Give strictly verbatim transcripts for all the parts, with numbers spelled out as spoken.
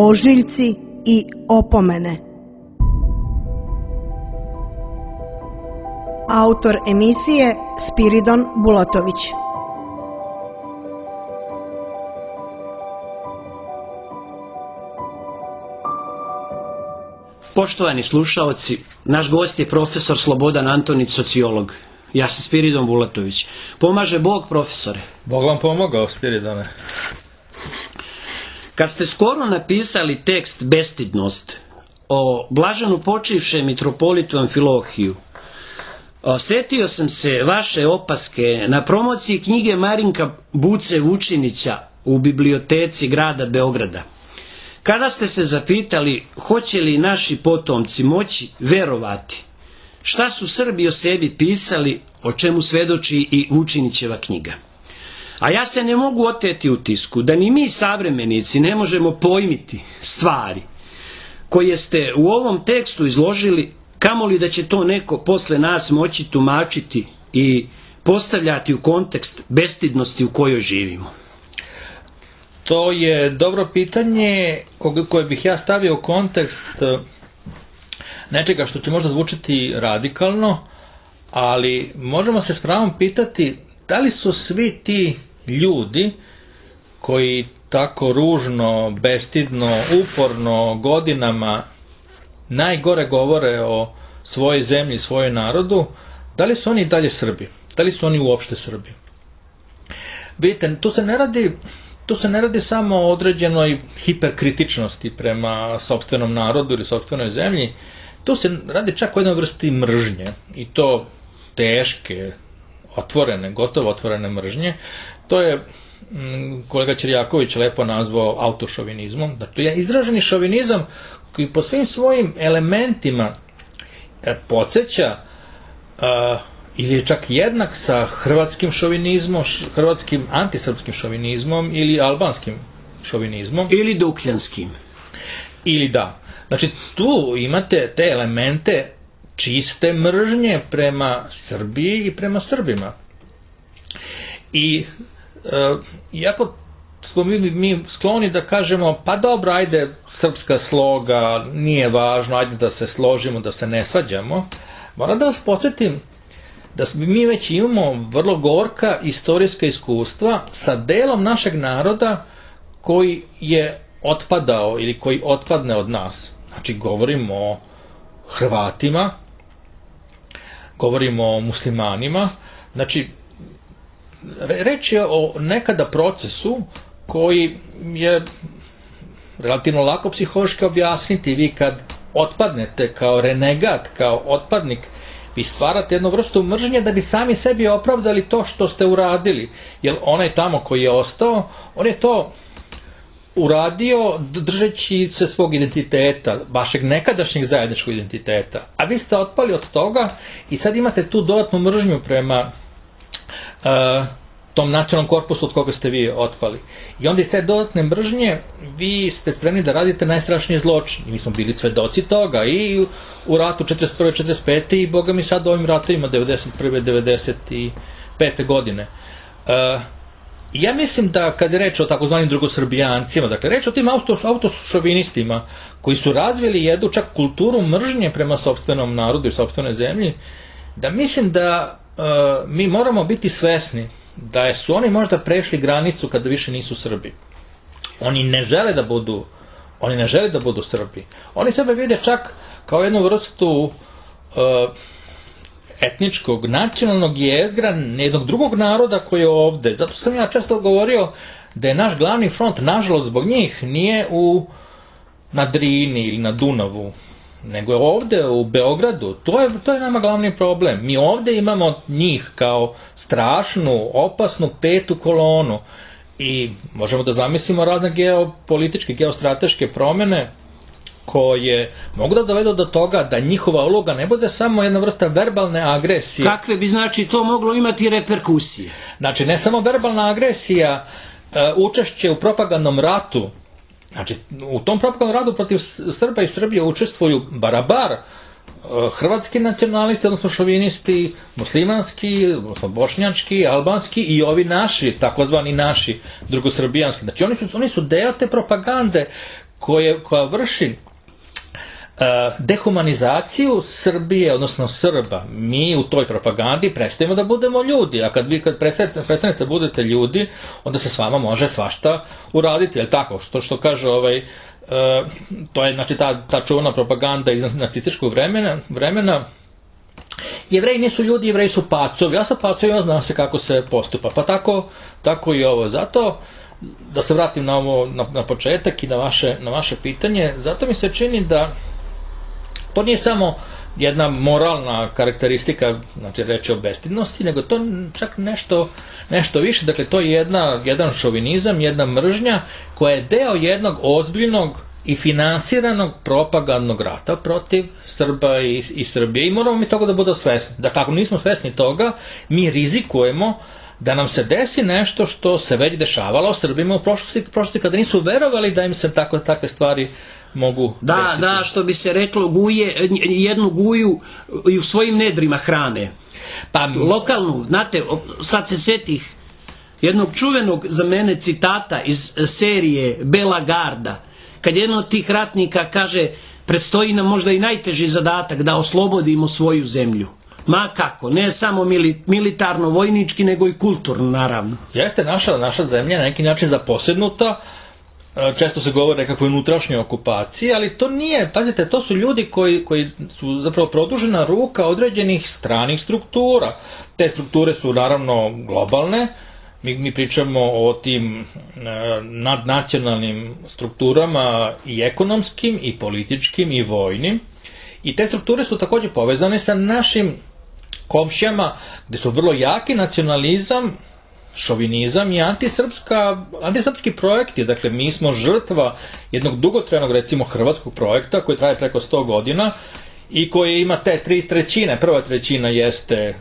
ožiljci i opomene. Autor emisije Spiridon Bulatović. Poštovani slušaoci, naš gost je profesor Slobodan Antonić, sociolog. Ja sam Spiridon Bulatović. Pomaže Bog, profesore. Bog vam pomogao, Spiridone. Kad ste skoro napisali tekst Bestidnost o blaženu počivšem mitropolitu Amfilohiju, osjetio sam se vaše opaske na promociji knjige Marinka Buce Vučinića u biblioteci grada Beograda. Kada ste se zapitali hoće li naši potomci moći verovati šta su Srbi o sebi pisali, o čemu svedoči i Vučinićeva knjiga. A ja se ne mogu oteti utisku da ni mi savremenici ne možemo pojmiti stvari koje ste u ovom tekstu izložili, kamoli da će to neko posle nas moći tumačiti i postavljati u kontekst bestidnosti u kojoj živimo. To je dobro pitanje koje bih ja stavio u kontekst nečega što će možda zvučiti radikalno, ali možemo se s pravom pitati da li su svi ti ljudi koji tako ružno, bestidno, uporno, godinama najgore govore o svojoj zemlji, svojoj narodu, da li su oni dalje Srbi? Da li su oni uopšte Srbi? Vidite, tu se ne radi, tu se ne radi samo o određenoj hiperkritičnosti prema sopstvenom narodu ili sopstvenoj zemlji, tu se radi čak o jednoj vrsti mržnje, i to teške, otvorene, gotovo otvorene mržnje. To je kolega Ćirjaković lepo nazvao autošovinizmom. Dakle, je izraženi šovinizam koji po svim svojim elementima podsjeća uh, ili je čak jednak sa hrvatskim šovinizmom, hrvatskim antisrpskim šovinizmom ili albanskim šovinizmom. Ili dukljanskim. Ili da. Znači, tu imate te elemente čiste mržnje prema Srbiji i prema Srbima. I e, iako smo mi, mi skloni da kažemo, pa dobro, ajde, srpska sloga, nije važno, ajde da se složimo, da se ne svađamo, moram da vas podsjetim da mi već imamo vrlo gorka istorijska iskustva sa delom našeg naroda koji je otpadao ili koji otpadne od nas. Znači, govorimo o Hrvatima, govorimo o muslimanima, znači, reč je o nekada procesu koji je relativno lako psihološki objasniti. Vi kad otpadnete kao renegat, kao otpadnik, vi stvarate jednu vrstu mržnje da bi sami sebi opravdali to što ste uradili. Jer onaj tamo koji je ostao, on je to uradio držeći se svog identiteta, vašeg nekadašnjeg zajedničkog identiteta. A vi ste otpali od toga i sad imate tu dodatnu mržnju prema uh, tom nacionalnom korpusu od koga ste vi otpali. I onda iz te dodatne mržnje vi ste spremni da radite najstrašnije zločine. I mi smo bili svedoci toga i u ratu četrdeset prve četrdeset pete i boga mi sad u ovim ratovima devedeset prve devedeset pete godine. Uh, Ja mislim da kad je reč o takozvanim drugosrbijancima, dakle reč o tim auto, autošovinistima koji su razvili jednu čak kulturu mržnje prema sopstvenom narodu i sopstvenoj zemlji, da mislim da e, mi moramo biti svesni da su oni možda prešli granicu kada više nisu Srbi. Oni ne žele da budu, oni ne žele da budu Srbi. Oni sebe vide čak kao jednu vrstu e, etničkog, nacionalnog jezgra jednog drugog naroda koji je ovde. Zato sam ja često govorio da je naš glavni front, nažalost zbog njih, nije u na Drini ili na Dunavu, nego je ovde u Beogradu. To je, to je nama glavni problem. Mi ovde imamo njih kao strašnu, opasnu petu kolonu i možemo da zamislimo razne geopolitičke, geostrateške promene koje mogu da dovedu do toga da njihova uloga ne bude samo jedna vrsta verbalne agresije. Kakve bi znači to moglo imati reperkusije? Znači, ne samo verbalna agresija, učešće u propagandnom ratu. Znači, u tom propagandnom ratu protiv Srba i Srbije učestvuju barabar hrvatski nacionalisti, odnosno šovinisti, muslimanski, odnosno bošnjački, albanski i ovi naši, takozvani naši drugosrbijanski. Znači, oni su, oni su deo te propagande koje, koja vrši dehumanizaciju Srbije, odnosno Srba. Mi u toj propagandi prestajemo da budemo ljudi, a kad vi kad prestanete da budete ljudi, onda se s vama može svašta uraditi, jel tako? Što, što kaže ovaj, to je znači ta, ta čuvana propaganda iz nacističkog vremena, vremena. Jevreji nisu ljudi, Jevreji su pacovi, ja sam pacovi, ja znam se kako se postupa, pa tako, tako i ovo. Zato, da se vratim na ovo, na, na početak i na vaše, na vaše pitanje, zato mi se čini da to nije samo jedna moralna karakteristika, znači reći o bestidnosti, nego to čak nešto, nešto više, dakle to je jedna, jedan šovinizam, jedna mržnja koja je deo jednog ozbiljnog i finansiranog propagandnog rata protiv Srba i, i Srbije i moramo mi toga da budemo svesni. Dakle, ako nismo svesni toga, mi rizikujemo da nam se desi nešto što se već dešavalo Srbima u prošlosti, prošlosti kada nisu verovali da im se tako, takve stvari mogu da, desiti. Da, što bi se reklo, guje, jednu guju i u svojim nedrima hrane. Pa lokalnu, znate, sad se setih jednog čuvenog za mene citata iz serije Bela garda, kad jedan od tih ratnika kaže, predstoji nam možda i najteži zadatak da oslobodimo svoju zemlju. Ma kako, ne samo militarno-vojnički, nego i kulturno, naravno. Jeste, naša, naša zemlja na neki način zaposednuta, često se govore o nekakvoj unutrašnjoj okupaciji, ali to nije, pazite, to su ljudi koji, koji su zapravo produžena ruka određenih stranih struktura. Te strukture su naravno globalne, mi, mi pričamo o tim nadnacionalnim strukturama i ekonomskim, i političkim, i vojnim, i te strukture su također povezane sa našim komšijama, gde su vrlo jaki nacionalizam, šovinizam i antisrpska, antisrpski projekti. Dakle, mi smo žrtva jednog dugotrajnog, recimo, hrvatskog projekta koji traje preko sto godina i koji ima te tri trećine. Prva trećina jeste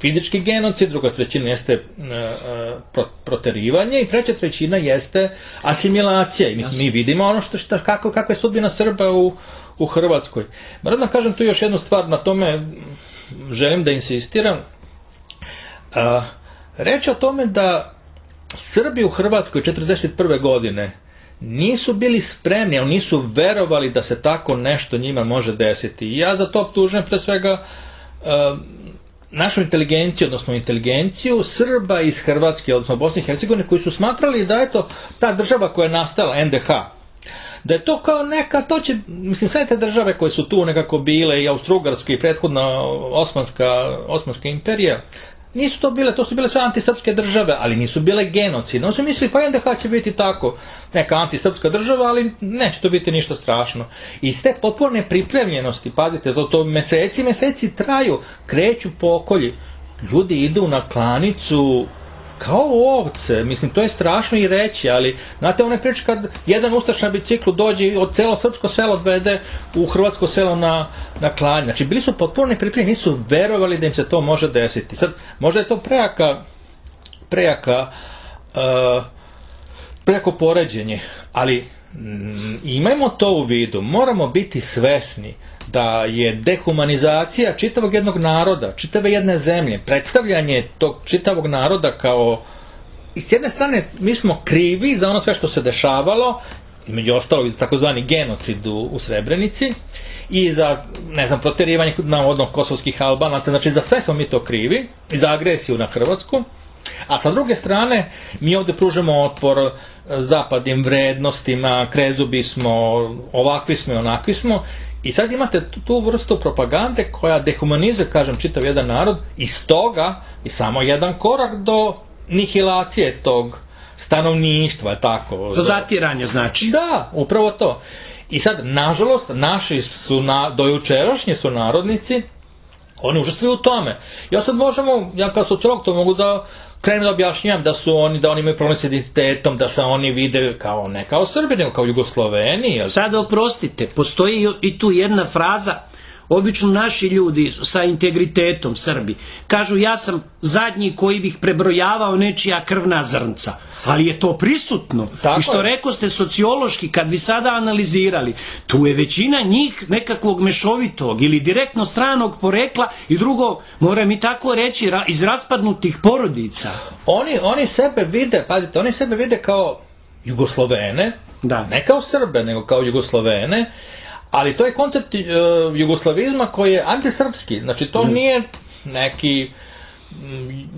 fizički genocid, druga trećina jeste uh, pro, proterivanje i treća trećina jeste asimilacija. I mi, mi vidimo ono što, što kako, kako je sudbina Srba u, u Hrvatskoj. Moram da kažem tu još jednu stvar, na tome želim da insistiram. Uh, Reč o tome da Srbi u Hrvatskoj četrdeset prve godine nisu bili spremni, ali nisu verovali da se tako nešto njima može desiti. I ja za to optužujem pre svega uh, našu inteligenciju, odnosno inteligenciju Srba iz Hrvatske, odnosno Bosne i Hercegovine, koji su smatrali da je to ta država koja je nastala, en de ha, da je to kao neka, to će, mislim, sve te države koje su tu nekako bile, i Austro-Ugarska i prethodna Osmanska, Osmanska imperija, nisu to bile, to su bile sve antisrpske države, ali nisu bile genocidne. Oni su mislili, pa en de ha će biti tako, neka antisrpska država, ali neće to biti ništa strašno. I iz te potporne pripremljenosti, pazite, to, to meseci, meseci traju, kreću pokolji. Ljudi idu na klanicu kao ovce, mislim, to je strašno i reći, ali, znate, one priče kad jedan ustaš na biciklu dođe i od celo srpsko selo odvede u hrvatsko selo na, na klanje. Znači, bili su potpuno pripremljeni, nisu verovali da im se to može desiti. Sad, možda je to prejaka, prejaka, uh, prejako poređenje, ali mm, imajmo to u vidu, moramo biti svesni da je dehumanizacija čitavog jednog naroda, čitave jedne zemlje, predstavljanje tog čitavog naroda kao, i s jedne strane mi smo krivi za ono sve što se dešavalo, među ostalog i takozvani genocid u, u Srebrenici, i za, ne znam, proterivanje navodno kosovskih Albanaca, znači za sve smo mi to krivi, i za agresiju na Hrvatsku, a sa druge strane mi ovdje pružamo otpor zapadnim vrednostima, krezubi smo, ovakvi smo i onakvi smo. I sad imate tu, tu vrstu propagande koja dehumanizuje, kažem, čitav jedan narod, i stoga je samo jedan korak do nihilacije tog stanovništva, tako. Do zatiranja, znači. Da, upravo to. I sad, nažalost, naši su, na, dojučerašnji su narodnici, oni učestvuju u tome. Ja sad možemo, ja kao sociolog to mogu da krenem da objašnjam da su oni, da oni imaju problem s identitetom, da se oni vide kao ne kao Srbi, nego kao Jugosloveni. Sada oprostite, postoji i tu jedna fraza, obično naši ljudi sa integritetom, Srbi, kažu ja sam zadnji koji bih prebrojavao nečija krvna zrnca. Ali je to prisutno. Tako I što je. Rekao ste sociološki, kad bi sada analizirali, tu je većina njih nekakvog mešovitog ili direktno stranog porekla i drugo, moram i tako reći, iz raspadnutih porodica. Oni, oni sebe vide, pazite, oni sebe vide kao Jugoslovene, Da. ne kao Srbe, nego kao Jugoslovene, ali to je koncept uh, jugoslavizma koji je antisrpski, znači to mm. nije neki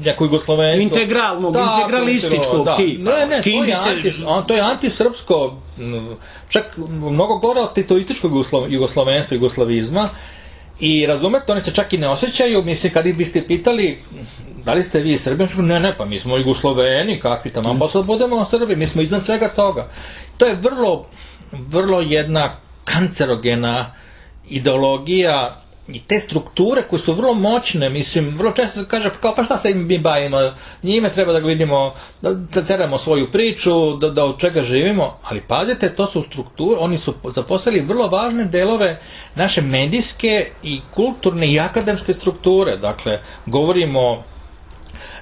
neko jugoslovensko... Integralnog, da, integralističkog da. tipa. Ne, ne, to je, anti, to je antisrpsko, čak mnogo gore od titoističkog jugoslovenstva, jugoslavizma, i razumete, oni se čak i ne osjećaju, mislim, kad ih biste pitali da li ste vi Srbi, ne, ne, pa mi smo Jugosloveni, kakvi tamo, pa sad budemo Srbi, mi smo iznad svega toga. To je vrlo, vrlo jedna kancerogena ideologija i te strukture koje su vrlo moćne, mislim, vrlo često se kaže, kao pa šta se mi bavimo, njime treba da vidimo, da, da teramo svoju priču, da, da od čega živimo, ali pazite, to su strukture, oni su zaposlili vrlo važne delove naše medijske i kulturne i akademske strukture, dakle, govorimo o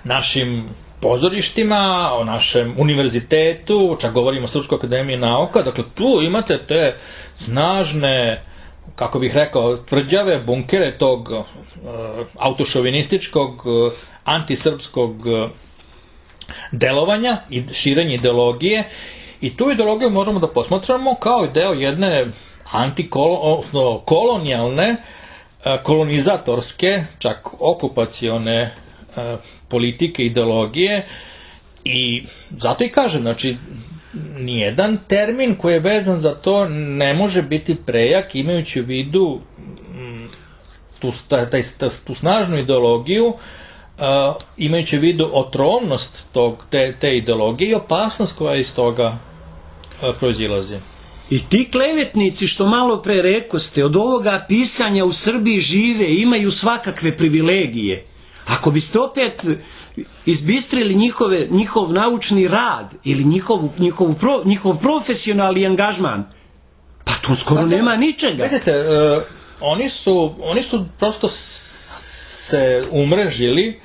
našim pozorištima, o našem univerzitetu, čak govorimo o Srpskoj akademiji nauka, dakle, tu imate te snažne, kako bih rekao, tvrđave bunkere tog uh, autošovinističkog, uh, antisrpskog uh, delovanja i širenja ideologije, i tu ideologiju možemo da posmatramo kao deo jedne antikolonijalne, uh, kolonizatorske, čak okupacione uh, politike, ideologije, i zato i kažem, znači, nijedan termin koji je vezan za to ne može biti prejak, imajući u vidu tu, taj, tu snažnu ideologiju, uh, imajući u vidu otrovnost tog, te, te ideologije i opasnost koja iz toga uh, proizilazi. I ti klevetnici što malo pre rekoste, od ovoga pisanja u Srbiji žive, imaju svakakve privilegije. Ako biste opet izbistrili njihove, njihov naučni rad ili njihov, njihov, pro, njihov profesionalni angažman, pa tu skoro da, nema ničega. Vidite, uh, oni, su, oni su prosto se umrežili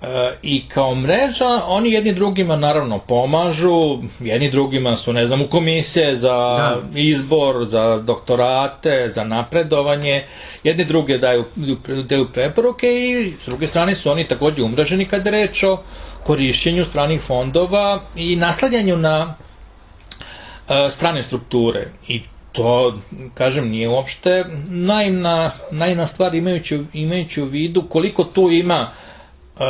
uh, i kao mreža oni jedni drugima naravno pomažu, jedni drugima su, ne znam, u komisije za da. izbor, za doktorate, za napredovanje, jedni druge daju, daju preporuke, i s druge strane su oni također umreženi kad je reč o korišćenju stranih fondova i naslanjanju na uh, strane strukture. I to, kažem, nije uopšte naivna, naivna stvar, imajući, imajući u vidu koliko tu ima uh,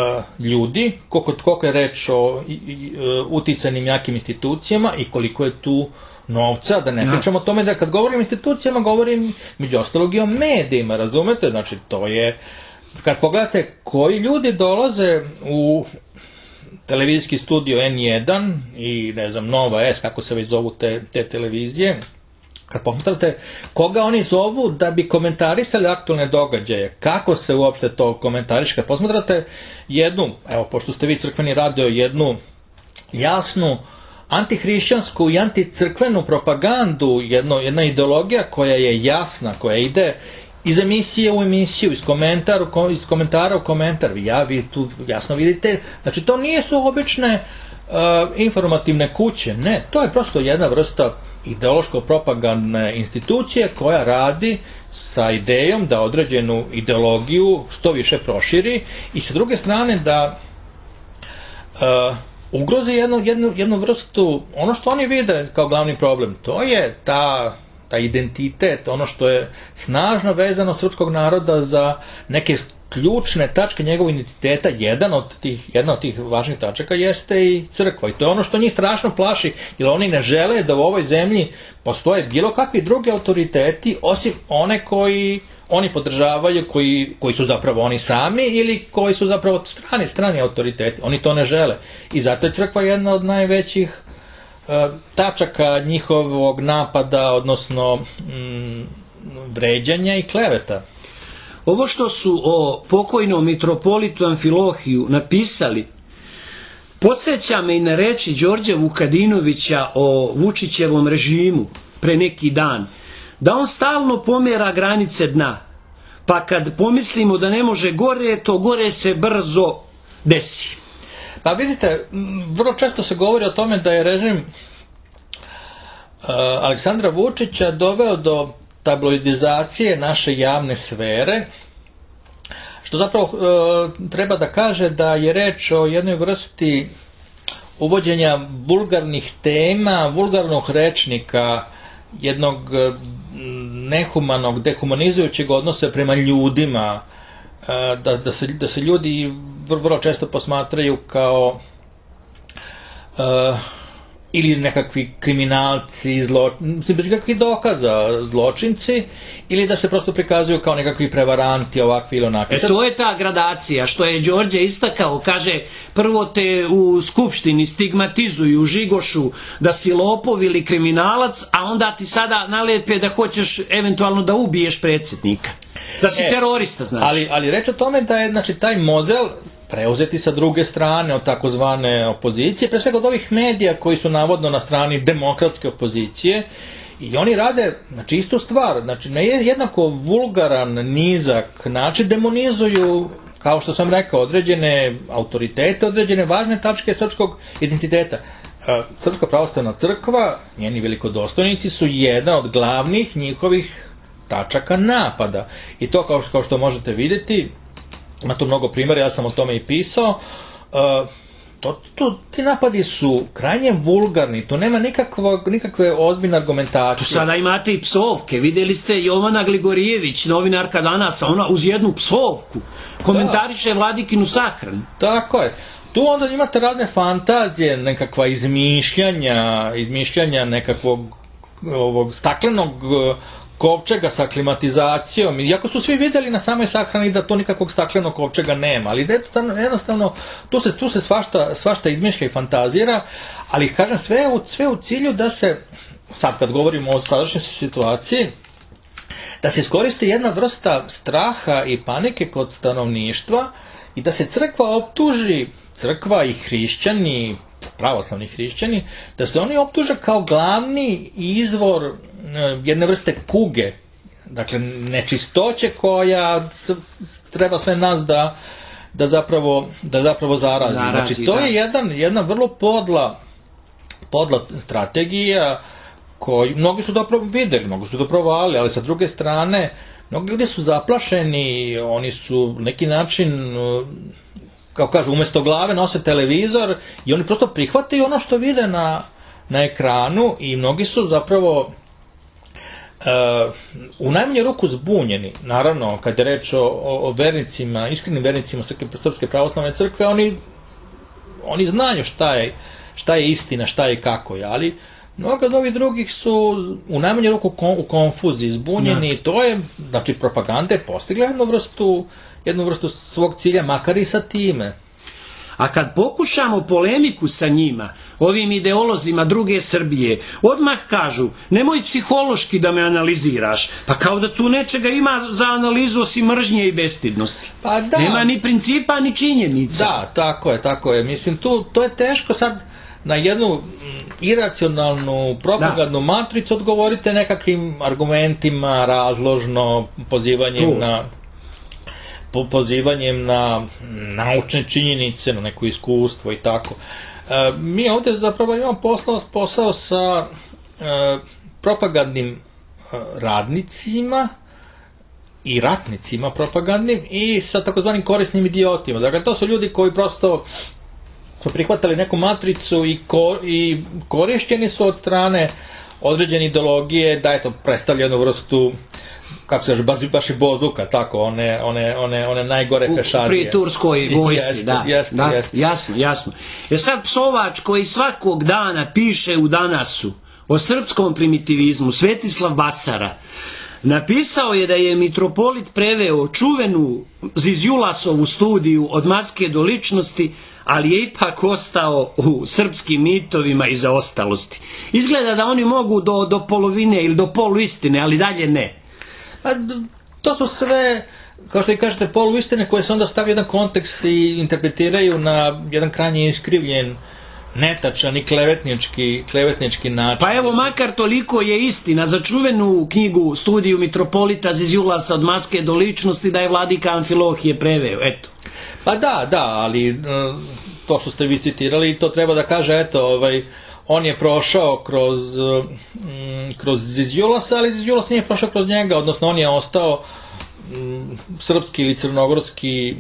ljudi, koliko, koliko je reč o i, i, uh, uticanim jakim institucijama i koliko je tu novca, da ne ja. pričamo o tome da kad govorim o institucijama, govorim među ostalog i o medijima, razumete? Znači, to je, kad pogledate koji ljudi dolaze u televizijski studio en jedan i, ne znam, Nova S, kako se već zovu te, te televizije, kad pogledate koga oni zovu da bi komentarisali aktualne događaje, kako se uopšte to komentariše, kad posmatrate jednu, evo, pošto ste vi crkveni radio, jednu jasnu antihrišćansku i anticrkvenu propagandu, jedno, jedna ideologija koja je jasna, koja ide iz emisije u emisiju, iz komentara, iz komentara u komentar. Ja, vi tu jasno vidite, znači to nije su obične uh, informativne kuće, ne, to je prosto jedna vrsta ideološko-propagandne institucije koja radi sa idejom da određenu ideologiju što više proširi i sa druge strane da uh, ugrozi jednu, jednu, jednu vrstu, ono što oni vide kao glavni problem, to je ta, ta identitet, ono što je snažno vezano srpskog naroda za neke ključne tačke njegovog identiteta. Jedan od tih, jedna od tih važnih tačaka jeste i crkva, i to je ono što njih strašno plaši, jer oni ne žele da u ovoj zemlji postoje bilo kakvi drugi autoriteti, osim one koji oni podržavaju, koji, koji su zapravo oni sami ili koji su zapravo strani, strani autoriteti. Oni to ne žele. I zato je crkva jedna od najvećih uh, tačaka njihovog napada, odnosno mm, vređanja i kleveta. Ovo što su o pokojnom mitropolitu Amfilohiju napisali, podsjeća me i na reči Đorđa Vukadinovića o Vučićevom režimu pre neki dan, da on stalno pomjera granice dna, pa kad pomislimo da ne može gore, to gore se brzo desi. Pa vidite, vrlo često se govori o tome da je režim uh, Aleksandra Vučića doveo do tabloidizacije naše javne sfere, što zapravo uh, treba da kaže da je reč o jednoj vrsti uvođenja vulgarnih tema, vulgarnog rečnika, jednog nehumanog, dehumanizujućeg odnosa prema ljudima, da, da, se, da se ljudi vrlo često posmatraju kao uh, ili nekakvi kriminalci, zlo, bez nekakvih dokaza zločinci, ili da se prosto prikazuju kao nekakvi prevaranti, ovakvi ili onakvi. E to je ta gradacija, što je Đorđe istakao, kaže, prvo te u skupštini stigmatizuju, žigošu da si lopov ili kriminalac, a onda ti sada nalepe da hoćeš eventualno da ubiješ predsjednika. Da si e, terorista, znači. Ali, ali reč o tome da je, znači, taj model preuzeti sa druge strane od takozvane opozicije, pre svega od ovih medija koji su navodno na strani demokratske opozicije, i oni rade, znači, istu stvar, znači, na jednako vulgaran, nizak način demonizuju, kao što sam rekao, određene autoritete, određene važne tačke srpskog identiteta. Srpska pravoslavna crkva, njeni velikodostojnici su jedna od glavnih njihovih tačaka napada. I to, kao što, kao što možete vidjeti, ima tu mnogo primjera, ja sam o tome i pisao, To, to, ti napadi su krajnje vulgarni, to nema nikakvo, nikakve ozbiljne argumentacije. Tu sada imate i psovke, vidjeli ste Jovana Gligorijević, novinarka Danasa, ona uz jednu psovku komentariše Vladikinu sahranu. Tako je. Tu onda imate razne fantazije, nekakva izmišljanja, izmišljanja nekakvog ovog staklenog kovčega sa klimatizacijom, iako su svi vidjeli na samoj sahrani da to nikakvog staklenog kovčega nema, ali jednostavno, jednostavno tu se, tu se svašta, svašta izmišlja i fantazira, ali kažem sve u, sve u cilju da se, sad kad govorimo o sadašnjoj situaciji, da se iskoristi jedna vrsta straha i panike kod stanovništva i da se crkva optuži, crkva i hrišćani, pravoslavni hrišćani, da se oni optuže kao glavni izvor jedne vrste kuge, dakle nečistoće koja treba sve nas da, da zapravo, da zapravo zarazi. Zarazi, znači to da. je jedan, jedna vrlo podla, podla strategija koju mnogi su dobro vidjeli, mnogi su dobro vali, ali sa druge strane mnogi ljudi su zaplašeni, oni su neki način, kao kažu, umjesto glave nose televizor i oni prosto prihvataju ono što vide na, na ekranu i mnogi su zapravo uh, u najmanju ruku zbunjeni. Naravno, kad je reč o, o, o vernicima, iskrenim vernicima Srpske pravoslavne crkve, oni, oni znaju šta je, šta je istina, šta je i kako je, ali mnogo od ovih drugih su u najmanju ruku kon, u konfuziji, zbunjeni, i to je, znači, propaganda je postigla jednu vrstu jednu vrstu svog cilja, makar i sa time. A kad pokušamo polemiku sa njima, ovim ideolozima druge Srbije, odmah kažu, nemoj psihološki da me analiziraš, pa kao da tu nečega ima za analizu osim mržnje i bestidnosti. Pa da. Nema ni principa, ni činjenica. Da, tako je, tako je. Mislim, tu, to je teško sad na jednu iracionalnu propagandnu matricu odgovorite nekakvim argumentima, razložno, pozivanjem tu. na... pozivanjem na naučne činjenice, na neko iskustvo i tako. E, mi ovdje zapravo imamo posao, posao sa e, propagandnim e, radnicima i ratnicima propagandnim i sa takozvanim korisnim idiotima. Dakle, to su ljudi koji prosto su prihvatali neku matricu i, ko, i korišćeni su od strane određene ideologije da je to predstavljeno vrstu, kako se kaže, baš i bozuka, tako, one, one, one, one najgore pešadije. Pri turskoj vojsci, da, jeste, da, jeste. jasno, jasno. Jer sad psovač koji svakog dana piše u Danasu o srpskom primitivizmu, Svetislav Bacara, napisao je da je mitropolit preveo čuvenu Zizjulasovu studiju Od maske do ličnosti, ali je ipak ostao u srpskim mitovima i zaostalosti. Izgleda da oni mogu do, do polovine ili do poluistine, ali dalje ne. A to su sve, kao što i kažete, poluistine koje se onda stavljaju jedan kontekst i interpretiraju na jedan krajnje iskrivljen, netačan i klevetnički, klevetnički način. Pa evo, makar toliko je istina za čuvenu knjigu Studiju mitropolita Zizjulasa Od maske do ličnosti da je vladika Amfilohije preveo, eto. Pa da, da, ali to što ste vi citirali, to treba da kaže, eto, ovaj, on je prošao kroz, mm, kroz Zizjulasa, ali Zizjulas nije prošao kroz njega, odnosno on je ostao mm, srpski ili crnogorski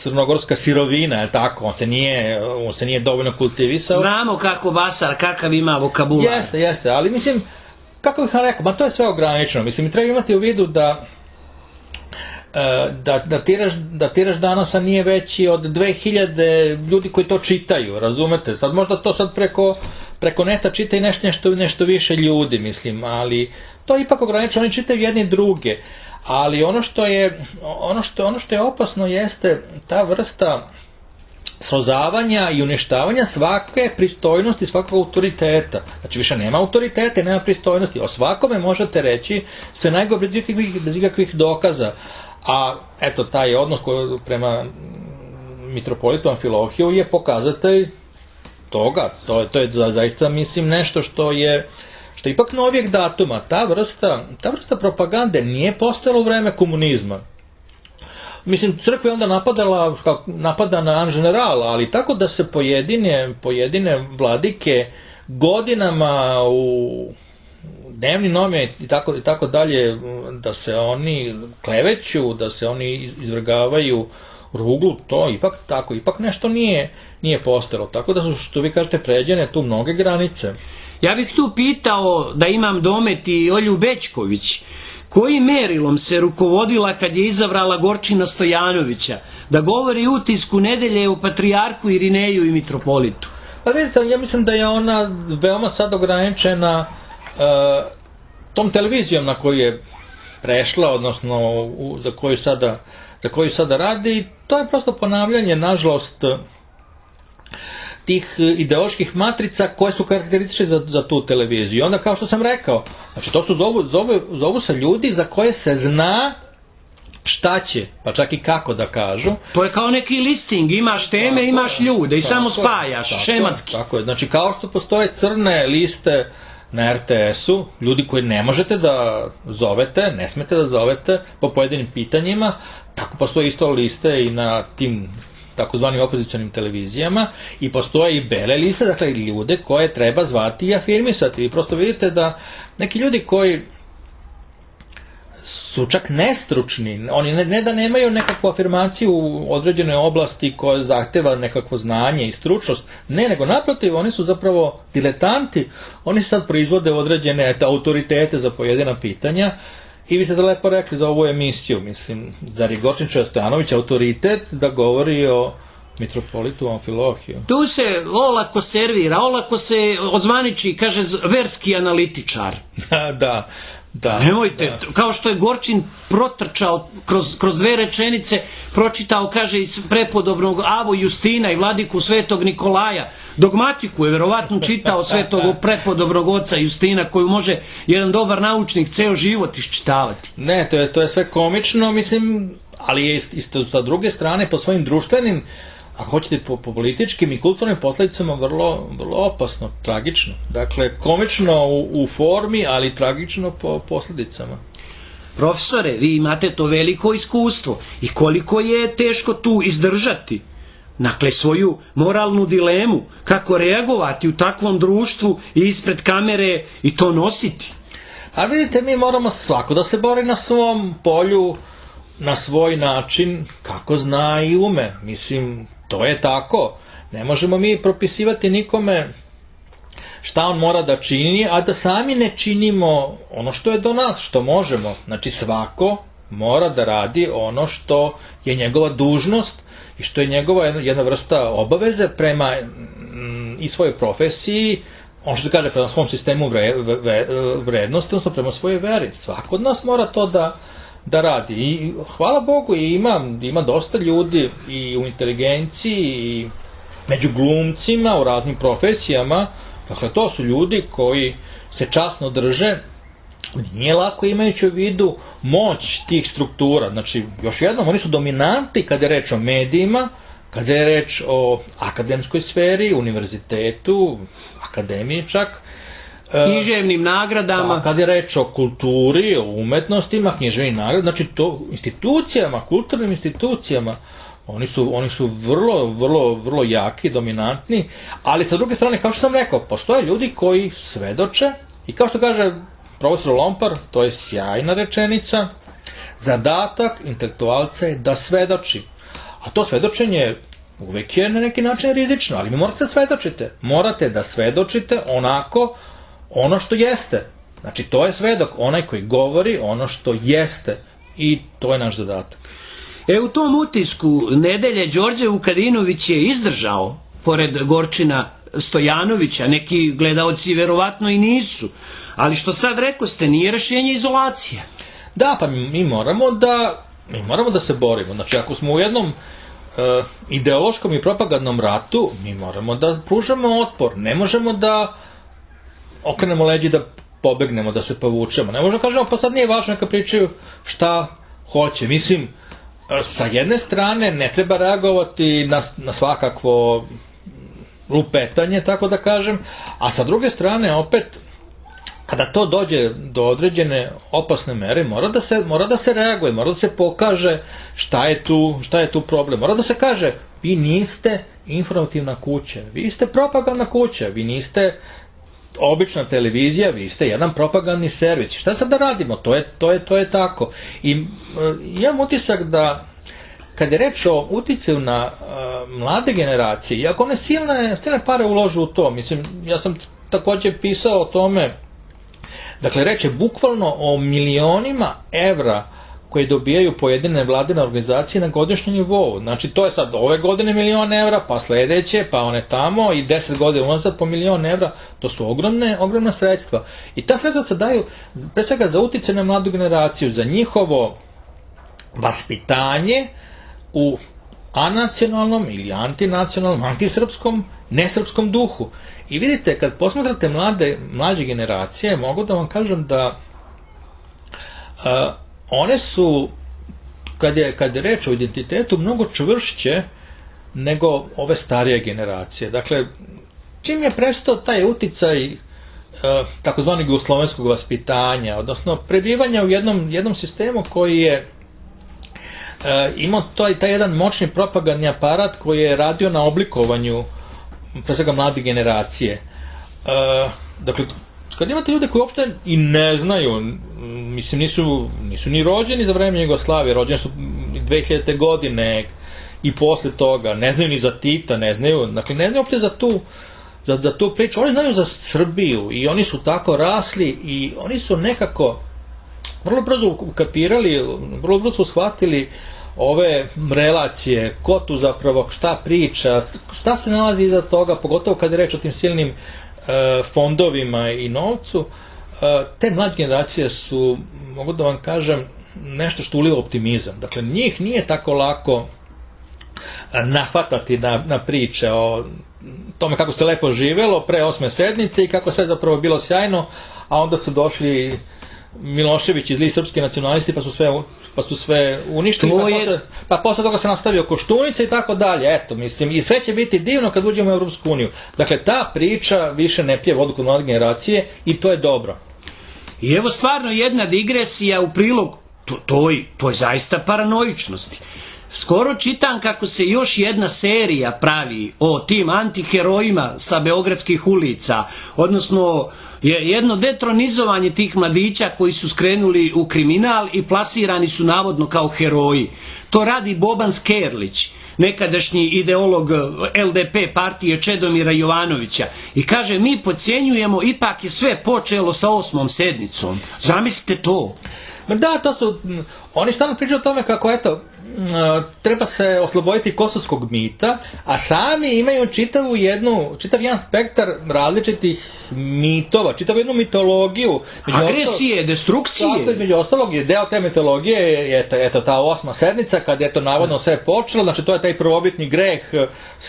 crnogorska sirovina, je tako, on se nije, on se nije dovoljno kultivisao. Znamo kako Vasar, kakav ima vokabular. Jeste, jeste, ali mislim, kako bih vam rekao, ma to je sve ograničeno, mislim, treba imati u vidu da da, da, tiraž, da tiraž Danosa nije veći od dve hiljade ljudi koji to čitaju, razumete? Sad možda to sad preko, preko neta čita i nešto, nešto, nešto više ljudi, mislim, ali to je ipak ograničeno, oni čitaju jedni druge, ali ono što je, ono što, ono što je opasno jeste ta vrsta srozavanja i uništavanja svake pristojnosti, svakog autoriteta. Znači više nema autoriteta, nema pristojnosti. O svakome možete reći sve najgore bez ikakvih, bez ikakvih dokaza. A eto, taj odnos koji prema mitropolitu Amfilohiju je pokazatelj toga. To, to je zaista, mislim, nešto što je što je ipak novijeg datuma. Ta vrsta, ta vrsta propagande nije postojala u vreme komunizma. Mislim, crkva je onda napadala, napada na an general, ali tako da se pojedine, pojedine vladike godinama u dnevni novine i tako, i tako dalje, da se oni kleveću, da se oni izvrgavaju ruglu, to ipak tako, ipak nešto nije, nije postojalo. Tako da su, što vi kažete, pređene tu mnoge granice. Ja bih tu pitao, da imam domet i Olju Bećković, kojim merilom se rukovodila kad je izabrala Gorčina Stojanovića da govori utisku nedelje o patrijarhu Irineju i mitropolitu? Pa vidite, ja mislim da je ona veoma sad ograničena uh, tom televizijom na koju je prešla, odnosno u, za, koju sada, za koju sada radi. To je prosto ponavljanje, nažalost, tih ideoloških matrica koje su karakteristične za, za tu televiziju. Onda, kao što sam rekao, znači to su zovu, zovu, zovu se ljudi za koje se zna šta će, pa čak i kako da kažu. To je kao neki listing, imaš teme, tako, imaš ljude i samo spajaš, tako, šematski. Tako je, znači kao što postoje crne liste na er te esu, ljudi koji ne možete da zovete, ne smete da zovete po pojedinim pitanjima, tako postoje isto liste i na tim takozvanim opozicionim televizijama i postoje i bele liste, dakle ljude koje treba zvati i afirmisati. I prosto vidite da neki ljudi koji su čak nestručni, oni ne, ne da nemaju nekakvu afirmaciju u određenoj oblasti koja zahteva nekakvo znanje i stručnost, ne, nego naprotiv, oni su zapravo diletanti, oni sad proizvode određene autoritete za pojedina pitanja. I vi ste da lepo rekli za ovu emisiju, mislim, zar je Gorčin Stojanović autoritet da govori o mitropolitu Amfilohiju? Tu se olako servira, olako se ozvaniči, kaže, verski analitičar. Da, da. Nemojte, da. Kao što je Gorčin protrčao kroz, kroz dve rečenice, pročitao, kaže, iz prepodobnog Avu Justina i vladiku Svetog Nikolaja. Dogmatiku je verovatno čitao Svetog prepodobnog oca Justina, koju može jedan dobar naučnik ceo život iščitavati. Ne, to je, to je sve komično, mislim, ali je isto sa druge strane po svojim društvenim, ako hoćete po, po političkim i kulturnim posledicama vrlo, vrlo opasno, tragično. Dakle, komično u, u formi, ali tragično po posledicama. Profesore, vi imate to veliko iskustvo i koliko je teško tu izdržati, dakle, svoju moralnu dilemu, kako reagovati u takvom društvu i ispred kamere i to nositi. A vidite, mi moramo svako da se bori na svom polju, na svoj način, kako zna i ume. Mislim, to je tako. Ne možemo mi propisivati nikome šta on mora da čini, a da sami ne činimo ono što je do nas, što možemo. Znači, svako mora da radi ono što je njegova dužnost i što je njegova jedna vrsta obaveze prema mm, i svojoj profesiji, on što se kaže prema svom sistemu vre, vre, vrednosti, odnosno prema svojoj veri. Svako od nas mora to da, da radi. I hvala Bogu, i ima, ima dosta ljudi i u inteligenciji i među glumcima u raznim profesijama. Dakle, to su ljudi koji se časno drže. Nije lako, imajući u vidu moć tih struktura. Znači, još jednom, oni su dominanti kada je reč o medijima, kada je reč o akademskoj sferi, univerzitetu, akademiji čak. Književnim nagradama. Pa, kada je reč o kulturi, o umetnostima, književnim nagradama, znači to institucijama, kulturnim institucijama, oni su, oni su vrlo, vrlo, vrlo jaki, dominantni, ali sa druge strane, kao što sam rekao, postoje ljudi koji svedoče i kao što kaže profesor Lompar, to je sjajna rečenica, zadatak intelektualca je da svedoči. A to svedočenje uvek je na neki način rizično, ali mi morate da svedočite. Morate da svedočite onako ono što jeste. Znači, to je svedok, onaj koji govori ono što jeste. I to je naš zadatak. E, u tom utisku nedelje Đorđe Vukadinović je izdržao, pored Gorčina Stojanovića, neki gledaoci verovatno i nisu. Ali što sad rekao ste, nije rešenje izolacije. Da, pa mi moramo da, mi moramo da se borimo. Znači, ako smo u jednom e, ideološkom i propagandnom ratu, mi moramo da pružamo otpor. Ne možemo da okrenemo leđi da pobegnemo, da se povučemo. Ne možemo da kažemo, pa sad nije važno neka pričaju šta hoće. Mislim, sa jedne strane ne treba reagovati na, na svakakvo lupetanje, tako da kažem, a sa druge strane opet, kada to dođe do određene opasne mere, mora da se, mora da se reaguje, mora da se pokaže šta je tu, šta je tu problem. Mora da se kaže, vi niste informativna kuća, vi ste propagandna kuća, vi niste obična televizija, vi ste jedan propagandni servis. Šta sad da radimo? To je, to je, to je tako. I e, imam utisak da kad je reč o uticaju na e, mlade generacije, iako one silne, silne pare uložu u to, mislim, ja sam također pisao o tome, dakle, reč je bukvalno o milionima evra koje dobijaju pojedine vladine organizacije na godišnjem nivou. Znači, to je sad ove godine milion evra, pa sledeće, pa one tamo i deset godina unazad po milion evra. To su ogromne, ogromna sredstva. I ta sredstva se daju, pre svega, za uticaj na mladu generaciju, za njihovo vaspitanje u anacionalnom ili antinacionalnom, antisrpskom, nesrpskom duhu. I vidite, kad posmatrate mlade, mlađe generacije, mogu da vam kažem da uh, one su, kad je, kad je reč o identitetu, mnogo čvršće nego ove starije generacije. Dakle, čim je prestao taj uticaj e, takozvanog jugoslovenskog vaspitanja, odnosno prebivanja u jednom, jednom sistemu koji je e, imao taj, taj jedan moćni propagandni aparat koji je radio na oblikovanju pre svega mlade generacije. E, dakle, kad imate ljude koji uopšte i ne znaju, mislim, nisu, nisu ni rođeni za vreme Jugoslavije, rođeni su dve hiljadite godine i posle toga, ne znaju ni za Tita, ne znaju, dakle, ne znaju uopšte za tu, za, za tu priču, oni znaju za Srbiju i oni su tako rasli i oni su nekako vrlo brzo ukapirali, vrlo brzo su shvatili ove relacije, ko tu zapravo šta priča, šta se nalazi iza toga, pogotovo kad je reč o tim silnim fondovima i novcu. Te mlađe generacije su, mogu da vam kažem, nešto što uliva optimizam. Dakle, njih nije tako lako nahvatati na, na priče o tome kako se lepo živelo pre osme sednice i kako sve zapravo bilo sjajno, a onda su došli Milošević i zli srpski nacionalisti pa su sve pa su sve uništili, pa, je... posle, pa posle toga se nastavio Koštunica i tako dalje. Eto, mislim, i sve će biti divno kad uđemo u Evropsku uniju. Dakle, ta priča više ne pije vodu kod mlade generacije i to je dobro. I evo stvarno jedna digresija u prilog to, toj, toj zaista paranoičnosti. Skoro čitam kako se još jedna serija pravi o tim antiherojima sa beogradskih ulica, odnosno je jedno detronizovanje tih mladića koji su skrenuli u kriminal i plasirani su navodno kao heroji. To radi Boban Skerlić, nekadašnji ideolog L D P partije Čedomira Jovanovića, i kaže, mi podcjenjujemo, ipak je sve počelo sa osmom sednicom. Zamislite to. Da, to su, oni stalno pričaju o tome kako, eto, treba se osloboditi kosovskog mita, a sami imaju čitavu jednu, čitav jedan spektar različitih mitova, čitavu jednu mitologiju. Agresije, destrukcije. Među ostalog je deo te mitologije, je eto, eto ta osma sednica, kad je to navodno sve počelo, znači to je taj prvobitni greh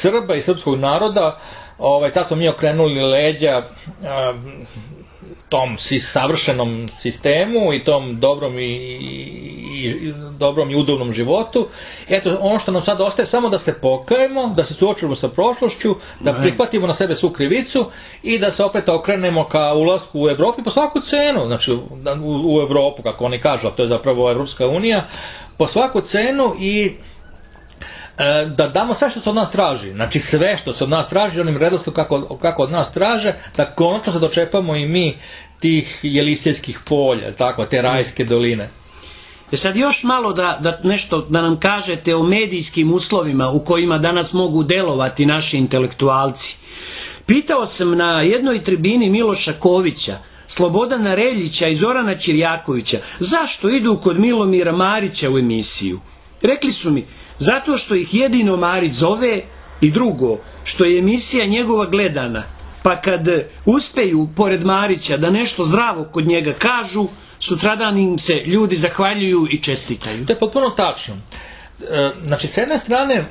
Srba i srpskog naroda, ovaj, tad smo mi okrenuli leđa a, tom si savršenom sistemu i tom dobrom i, i, i dobrom i udobnom životu. Eto, ono što nam sad ostaje samo da se pokajemo, da se suočimo sa prošlošću, da prihvatimo na sebe svu krivicu i da se opet okrenemo ka ulasku u Evropu po svaku cenu, znači u, u Evropu, kako oni kažu, a to je zapravo Evropska unija, po svaku cenu i da damo sve što se od nas traži, znači sve što se od nas traži, onim redostom kako, kako od nas traže, da konačno se dočepamo i mi tih jelisejskih polja, tako, te rajske doline. E sad još malo da, da nešto da nam kažete o medijskim uslovima u kojima danas mogu delovati naši intelektualci. Pitao sam na jednoj tribini Miloša Kovića, Slobodana Reljića i Zorana Ćirjakovića zašto idu kod Milomira Marića u emisiju. Rekli su mi, zato što ih jedino Marić zove, i drugo, što je emisija njegova gledana, pa kad uspeju pored Marića da nešto zdravo kod njega kažu, sutradan im se ljudi zahvaljuju i čestitaju. To je potpuno tačno. Znači, s jedne strane,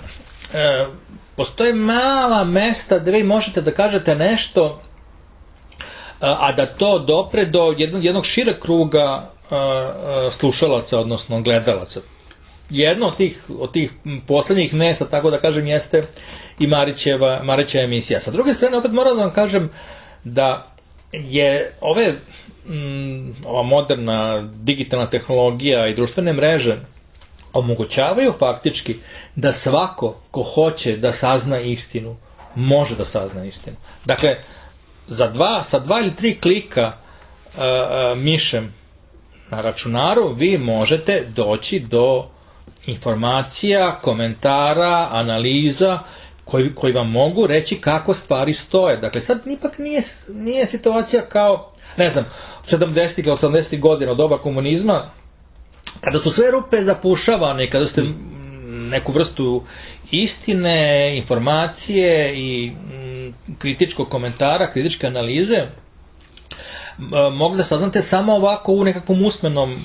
postoje mala mesta gdje vi možete da kažete nešto, a da to dopre do jednog, jednog šireg kruga slušalaca, odnosno gledalaca. Jedno od tih, od tih poslednjih mesta, tako da kažem, jeste i Marićeva, Marićeva emisija. Sa druge strane, opet moram da vam kažem da je ove, m, ova moderna digitalna tehnologija i društvene mreže omogućavaju faktički da svako ko hoće da sazna istinu, može da sazna istinu. Dakle, za dva, sa dva ili tri klika a, a, mišem na računaru vi možete doći do informacija, komentara, analiza koji, koji vam mogu reći kako stvari stoje. Dakle, sad ipak nije, nije situacija kao, ne znam, sedamdesetih ili osamdesetih godina od doba komunizma, kada su sve rupe zapušavane, kada ste neku vrstu istine, informacije i mm, kritičkog komentara, kritičke analize mogli da saznate samo ovako u nekakvom usmenom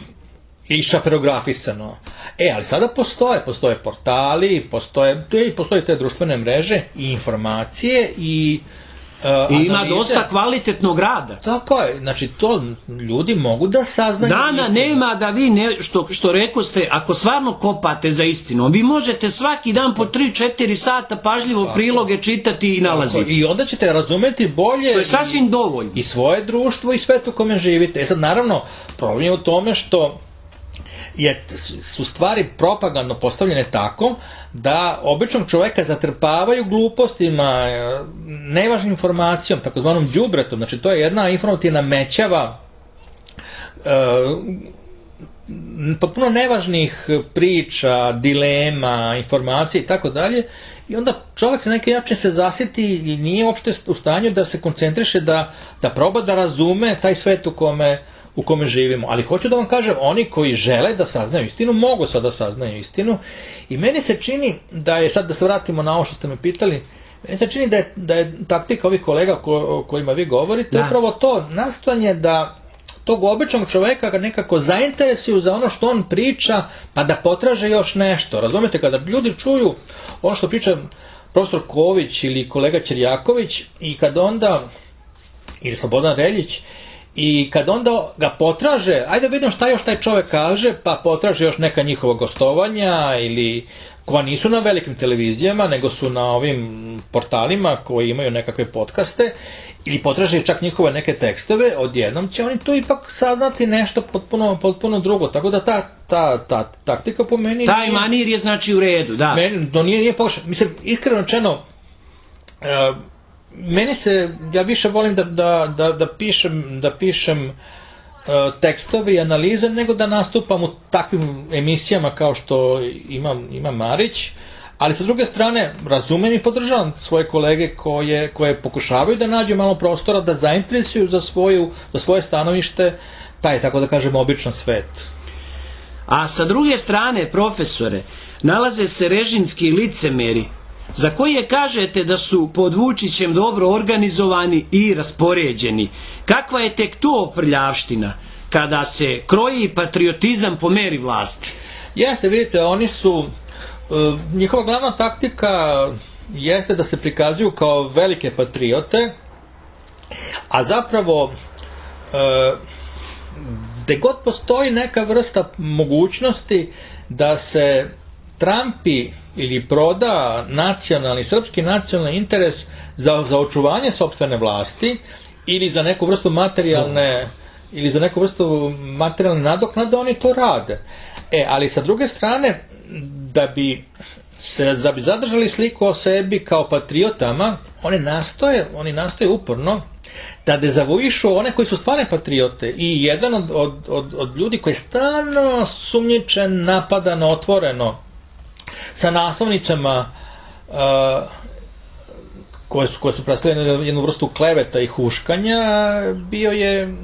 i šaperografisano. E, ali sada postoje, postoje portali, postoje, postoje te društvene mreže i informacije i uh, I ima dosta kvalitetnog rada. Tako je, znači to ljudi mogu da saznaju. Dana nema da vi, ne, što, što reko ste, ako stvarno kopate za istinu, vi možete svaki dan po tri četiri sata pažljivo tako priloge čitati i nalaziti. I onda ćete razumeti bolje. To je sasvim i, dovoljno. I svoje društvo i svet u kome živite. E sad, naravno, problem je u tome što je, su stvari propagandno postavljene tako da običnog čoveka zatrpavaju glupostima, nevažnim informacijom, takozvanom đubretom. Znači to je jedna informativna mećava e, potpuno nevažnih priča, dilema, informacija i tako dalje. I onda čovjek se na neki način se zasjeti i nije uopšte u stanju da se koncentriše, da, da proba da razume taj svet u kome u kome živimo. Ali hoću da vam kažem, oni koji žele da saznaju istinu, mogu sad da saznaju istinu. I meni se čini da je, sad da se vratimo na ovo što ste me pitali, meni se čini da je, da je taktika ovih kolega ko, o kojima vi govorite, da. Upravo to nastojanje da tog običnog čoveka ga nekako zainteresuju za ono što on priča, pa da potraže još nešto. Razumete, kada ljudi čuju ono što priča profesor Ković ili kolega Ćirjaković i kad onda, ili Slobodan Reljić, i kad onda ga potraže, ajde vidim šta još taj čovjek kaže, pa potraže još neka njihova gostovanja ili koja nisu na velikim televizijama, nego su na ovim portalima koji imaju nekakve podcaste, ili potraže čak njihove neke tekstove, odjednom će oni tu ipak saznati nešto potpuno, potpuno drugo. Tako da ta, ta, ta taktika po meni... Taj manir je znači u redu, da. Meni, to nije, nije pokušao. Mislim, iskreno rečeno, uh, meni se, ja više volim da, da, da, da pišem, da pišem uh, tekstove i analize nego da nastupam u takvim emisijama kao što ima, ima Marić, ali sa druge strane razumem i podržavam svoje kolege koje, koje pokušavaju da nađu malo prostora, da zainteresuju za, svoju, za svoje stanovište taj, tako da kažem, običan svet. A sa druge strane, profesore, nalaze se režimski licemeri za koje kažete da su pod Vučićem dobro organizovani i raspoređeni. Kakva je tek to prljavština kada se kroji patriotizam po meri vlasti? Jeste, vidite, oni su, njihova glavna taktika jeste da se prikazuju kao velike patriote, a zapravo gde god postoji neka vrsta mogućnosti da se trampi ili proda nacionalni, srpski nacionalni interes za, za očuvanje sopstvene vlasti ili za neku vrstu materijalne ili za neku vrstu materijalne nadoknade, oni to rade. E, ali sa druge strane, da bi se da bi zadržali sliku o sebi kao patriotama, oni nastoje, oni nastoje uporno da dezavuišu one koji su stvarne patriote. I jedan od, od, od, od ljudi koji je stalno sumnjičen, napadan, otvoreno, sa naslovnicama uh, koje su, koje su predstavljene jednu vrstu kleveta i huškanja, bio je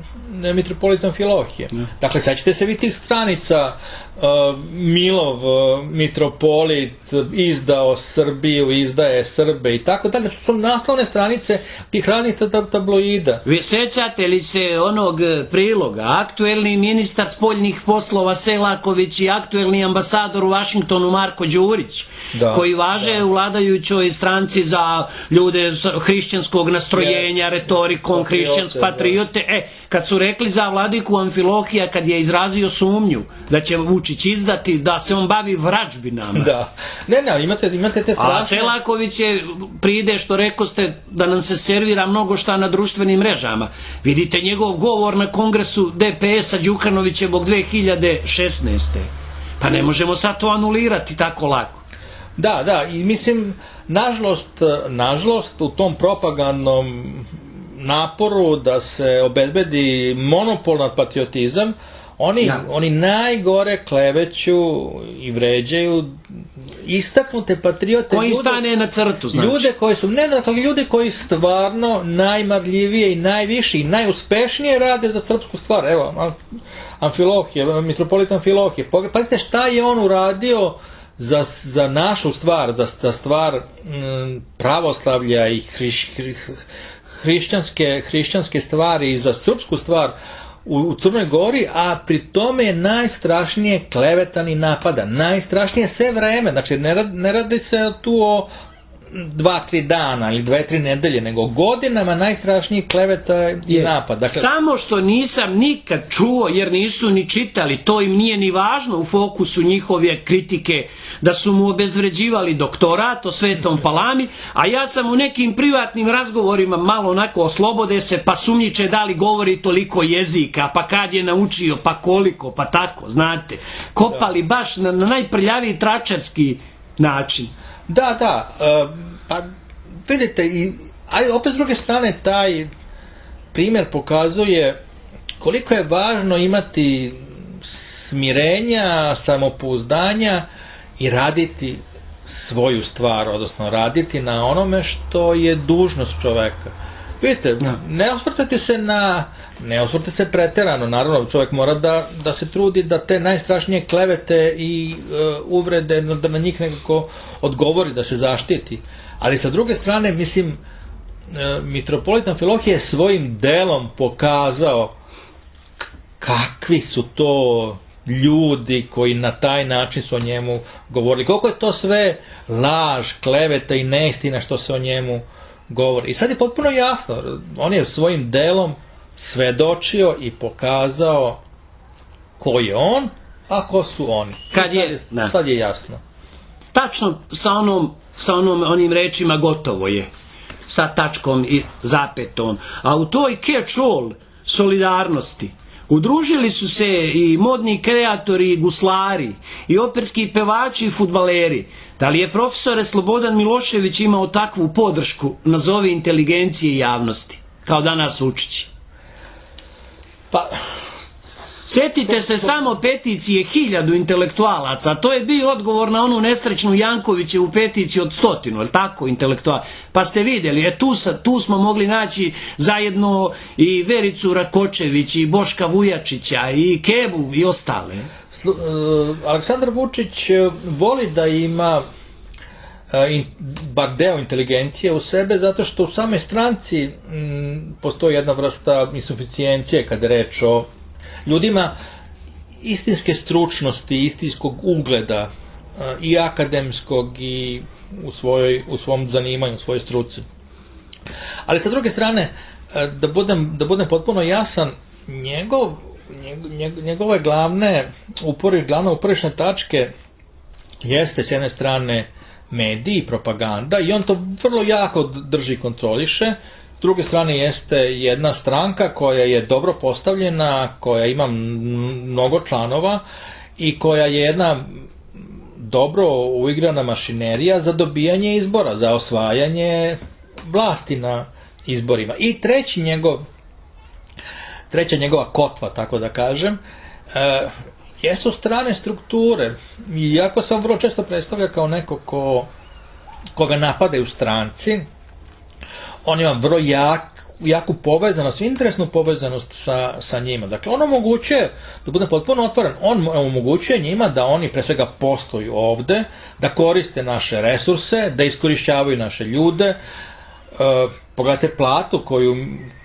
mitropolit Amfilohije. Ne. Dakle, sećate se vi tih stranica, uh, Milov uh, mitropolit izdao Srbiju, izdaje Srbe i tako dalje, to su naslovne stranice tih raznih tabloida. Vi sećate li se onog priloga? Aktuelni ministar spoljnih poslova Selaković i aktuelni ambasador u Vašingtonu Marko Đurić, da, koji važe da. u vladajućoj stranci za ljude hrišćanskog nastrojenja, yes, retorikom, hrišćanske patriote. Da. E, kad su rekli za vladiku Amfilohija, kad je izrazio sumnju da će Vučić izdati, da se on bavi vražbinama. Da. Ne, ne, imate, imate te strašne... A Selaković je pride, što rekoste, da nam se servira mnogo šta na društvenim mrežama. Vidite njegov govor na kongresu D P S-a Đukanovićevog dve hiljade šesnaeste. Pa ne možemo sad to anulirati tako lako. Da, da, i mislim, nažalost, nažalost, u tom propagandnom naporu da se obezbedi monopol nad patriotizam, oni, ja. oni najgore kleveću i vređaju istaknute patriote. Koji ljude, stane na crtu, znači. Ljude koji su, ne da, ljude koji stvarno najmarljivije i najviše i najuspešnije rade za srpsku stvar. Evo, Amfilohije, mitropolit Amfilohije. Pazite šta je on uradio za, za našu stvar, za, za stvar m, pravoslavlja i hriš, hriš, hrišćanske, hrišćanske stvari i za srpsku stvar u, u Crnoj Gori, a pri tome je najstrašnije klevetan i napadan. Najstrašnije sve vreme, znači ne, rad, ne radi se tu o dva, tri dana ili dve, tri nedelje, nego godinama najstrašniji kleveta i je. napad. Dakle, samo što nisam nikad čuo, jer nisu ni čitali, to im nije ni važno u fokusu njihove kritike, da su mu obezvređivali doktorat o Svetom Palami, a ja sam u nekim privatnim razgovorima malo onako oslobode se, pa sumnjiče da li govori toliko jezika, pa kad je naučio, pa koliko, pa tako, znate. Kopali baš na, na najprljaviji tračarski način. Da, da, uh, pa vidite, i, a opet s druge strane taj primjer pokazuje koliko je važno imati smirenja, samopouzdanja i raditi svoju stvar, odnosno raditi na onome što je dužnost čoveka. Vidite, ne osvrtati se na, ne osvrtati se preterano, naravno čovjek mora da, da se trudi da te najstrašnije klevete i uh, uvrede, da na njih nekako odgovori, da se zaštiti. Ali sa druge strane, mislim, uh, mitropolit Amfilohije je svojim delom pokazao kakvi su to ljudi koji na taj način su o njemu govorili. Koliko je to sve laž, kleveta i neistina što se o njemu govori. I sad je potpuno jasno, on je svojim delom svedočio i pokazao ko je on, a ko su oni. Kad je, sad, je, sad je jasno. Tačno sa onom, sa onom, onim rečima gotovo je. Sa tačkom i zapetom. A u toj catch-all solidarnosti udružili su se i modni kreatori i guslari, i operski pevači i fudbaleri. Da li je profesore Slobodan Milošević imao takvu podršku, nazovi inteligencije i javnosti, kao danas Vučić? Pa, sjetite se samo peticije hiljadu intelektualaca, to je bio odgovor na onu nesrećnu Jankovićevu peticiju od stotinu, je li tako, intelektualaca? Pa ste vidjeli, je, tu, tu smo mogli naći zajedno i Vericu Rakočević, i Boška Vujačića, i Kebu, i ostale. Aleksandar Vučić voli da ima bar deo inteligencije u sebe, zato što u samoj stranci m, postoji jedna vrsta insuficijencije kada je reč o ljudima istinske stručnosti, istinskog ugleda i akademskog i u, svojoj, u svom zanimanju, u svojoj struci. Ali sa druge strane, da budem, da budem potpuno jasan, njegov, njegov, njegove glavne upori, glavne uporišne tačke jeste s jedne strane mediji i propaganda, i on to vrlo jako drži i kontroliše. S druge strane jeste jedna stranka koja je dobro postavljena, koja ima mnogo članova i koja je jedna dobro uigrana mašinerija za dobijanje izbora, za osvajanje vlasti na izborima. I treći njegov, treća njegova kotva, tako da kažem, e, jesu strane strukture. Iako sam vrlo često predstavlja kao neko ko, koga napadaju stranci, on ima vrlo jak, jaku povezanost, interesnu povezanost sa, sa njima. Dakle, on omogućuje, da budem potpuno otvoren, on omogućuje njima da oni pre svega postoju ovde, da koriste naše resurse, da iskorišćavaju naše ljude. E, pogledajte platu koju,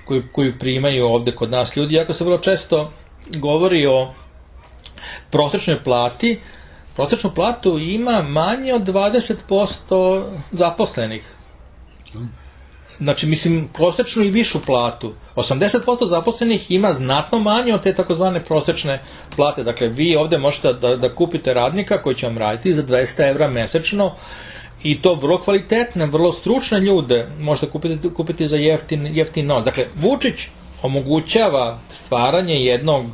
koju, koju primaju ovde kod nas ljudi, iako se vrlo često govori o prosečnoj plati, prosečnu platu ima manje od dvadeset posto zaposlenih. Znači, mislim, prosečnu i višu platu. osamdeset posto zaposlenih ima znatno manje od te takozvane prosečne plate. Dakle, vi ovde možete da, da kupite radnika koji će vam raditi za dvesta evra mesečno i to vrlo kvalitetne, vrlo stručne ljude možete kupiti, kupiti za jeftin, jeftin novac. Dakle, Vučić omogućava stvaranje jednog,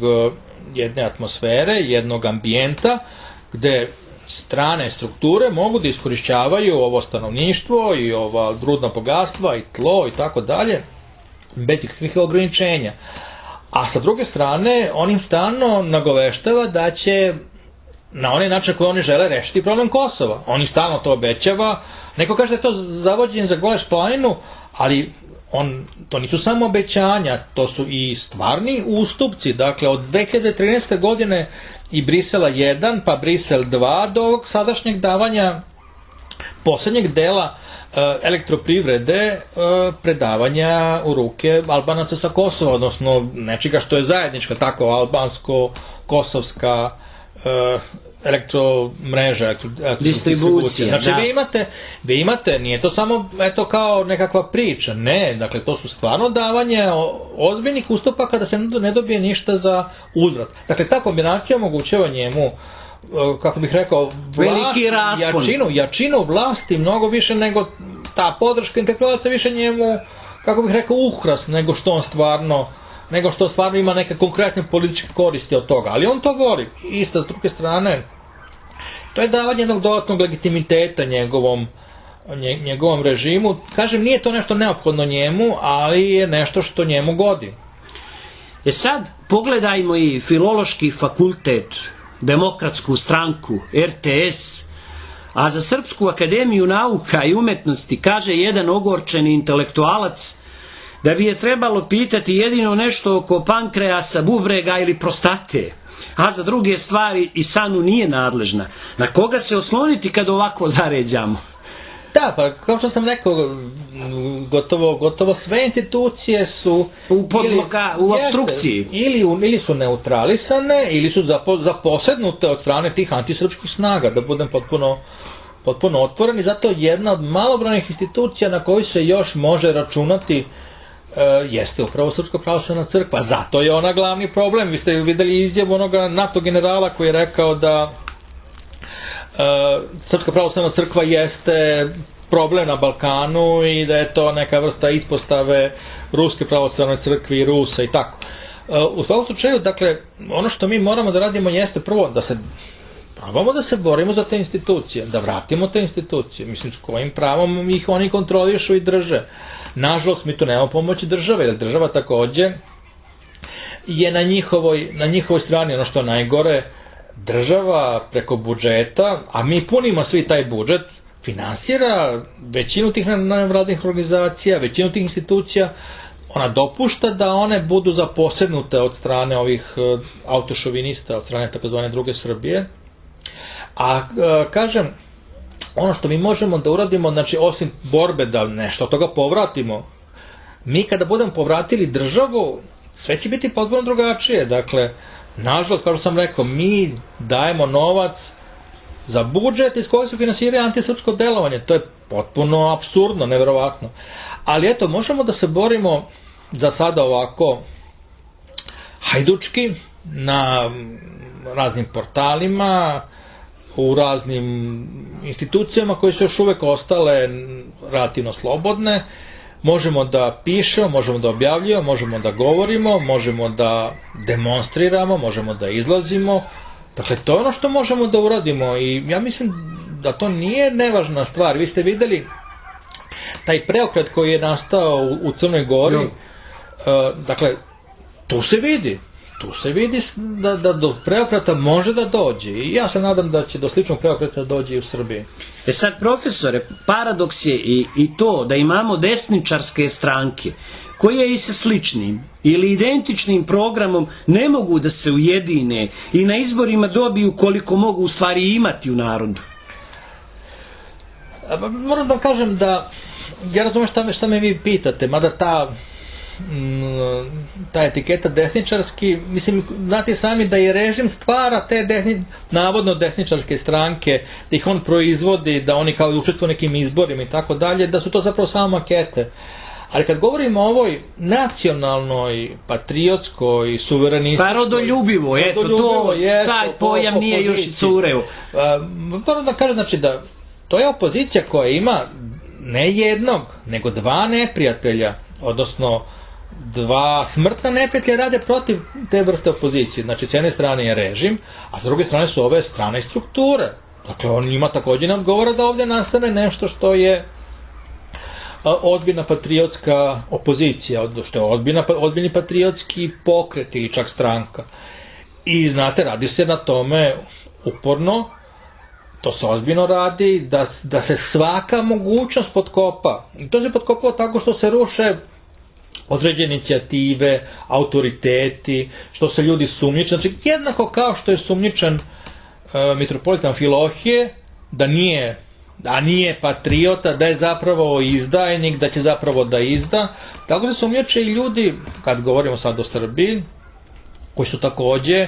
jedne atmosfere, jednog ambijenta gde strane strukture mogu da iskorišćavaju ovo stanovništvo i ova rudna bogatstva i tlo i tako dalje bez ikakvih ograničenja. A sa druge strane, on im stalno nagoveštava da će na onaj način koji oni žele rešiti problem Kosova. On im stalno to obećava. Neko kaže da je to zavođenje za Goleš planinu, ali on, to nisu samo obećanja, to su i stvarni ustupci. Dakle, od dve hiljade trinaeste. godine i Brisela jedan, pa Brisel dva, do ovog sadašnjeg davanja poslednjeg dela e, elektroprivrede, e, predavanja u ruke Albanaca sa Kosova, odnosno nečega što je zajednička, tako albansko-kosovska e, elektromreža, elektro, distribucija. Znači, da. vi imate, vi imate, nije to samo eto kao nekakva priča, ne, dakle to su stvarno davanje ozbiljnih ustupaka da se ne dobije ništa za uzvrat. Dakle, ta kombinacija omogućava njemu, kako bih rekao, vlast, jačinu, jačinu vlasti mnogo više nego ta podrška interpelaca više njemu, kako bih rekao, uhrast nego što on stvarno nego što stvarno ima neke konkretne političke koristi od toga. Ali on to voli. Isto, s druge strane, to je davanje jednog dodatnog legitimiteta njegovom, njegovom režimu. Kažem, nije to nešto neophodno njemu, ali je nešto što njemu godi. E sad, pogledajmo i Filološki fakultet, Demokratsku stranku, er te es, a za Srpsku akademiju nauka i umetnosti kaže jedan ogorčeni intelektualac da bi je trebalo pitati jedino nešto oko pankreasa, bubrega ili prostate, a za druge stvari i Sanu nije nadležna. Na koga se osloniti kad ovako zaređamo? Da, pa kao što sam rekao, gotovo, gotovo sve institucije su u podloga, u obstrukciji. Ili, ili su neutralisane, ili su zapo, zaposednute od strane tih antisrpskih snaga, da budem potpuno, potpuno otvoren. I zato jedna od malobrojnih institucija na koju se još može računati Uh, jeste upravo Srpska pravoslavna crkva. Zato je ona glavni problem. Vi ste videli izjavu onoga NATO generala koji je rekao da uh, Srpska pravoslavna crkva jeste problem na Balkanu i da je to neka vrsta ispostave Ruske pravoslavne crkve i Rusa i tako. Uh, u svakom slučaju, dakle, ono što mi moramo da radimo jeste prvo da se probamo da se borimo za te institucije, da vratimo te institucije. Mislim, s kojim pravom ih oni kontrolišu i drže. Nažalost, mi tu nemamo pomoći države, jer država takođe je na njihovoj, na njihovoj strani. Ono što je najgore, država preko budžeta, a mi punimo svi taj budžet, finansira većinu tih nevladinih organizacija, većinu tih institucija, ona dopušta da one budu zaposednute od strane ovih autošovinista, od strane takozvane druge Srbije. A kažem, ono što mi možemo da uradimo, znači osim borbe da nešto od toga povratimo, mi kada budemo povratili državu, sve će biti potpuno drugačije. Dakle, nažalost, kao što sam rekao, mi dajemo novac za budžet iz kojeg se finansira antisrpsko delovanje. To je potpuno apsurdno, neverovatno. Ali eto, možemo da se borimo za sada ovako hajdučki na raznim portalima, u raznim institucijama koje su još uvek ostale relativno slobodne. Možemo da pišemo, možemo da objavljujemo, možemo da govorimo, možemo da demonstriramo, možemo da izlazimo. Dakle, to je ono što možemo da uradimo i ja mislim da to nije nevažna stvar. Vi ste videli taj preokret koji je nastao u, u Crnoj Gori, uh, dakle, tu se vidi, tu se vidi da, da do preokreta može da dođe i ja se nadam da će do sličnog preokreta dođe i u Srbiji. E sad, profesore, paradoks je i, i to da imamo desničarske stranke koje i sa sličnim ili identičnim programom ne mogu da se ujedine i na izborima dobiju koliko mogu u stvari imati u narodu. Moram da kažem da ja razumem šta me, šta me vi pitate, mada ta ta etiketa desničarski, mislim, znate sami da i režim stvara te desni, navodno desničarske stranke, da ih on proizvodi, da oni kao učestvuju nekim izborima i tako dalje, da su to zapravo samo makete. Ali kad govorimo o ovoj nacionalnoj, patriotskoj, suverenističkoj... Pa rodoljubivo, eto, to, taj pojam nije još i cureo. Moram da kažem, znači da to je opozicija koja ima ne jednog, nego dva neprijatelja, odnosno dva smrtna neprijatelja rade protiv te vrste opozicije. Znači, s jedne strane je režim, a s druge strane su ove strane i strukture. Dakle, on njima također ne odgovara da ovdje nastane nešto što je ozbiljna patriotska opozicija, što je ozbiljna, ozbiljni patriotski pokret ili čak stranka. I znate, radi se na tome uporno, to se ozbiljno radi, da, da se svaka mogućnost potkopa. I to se potkopava tako što se ruše određene inicijative, autoriteti, što se ljudi sumnjiče. Znači, jednako kao što je sumnjičan uh, mitropolit Amfilohije, da nije, da nije patriota, da je zapravo izdajnik, da će zapravo da izda, tako se sumnjiče i ljudi, kad govorimo sad o Srbiji, koji su također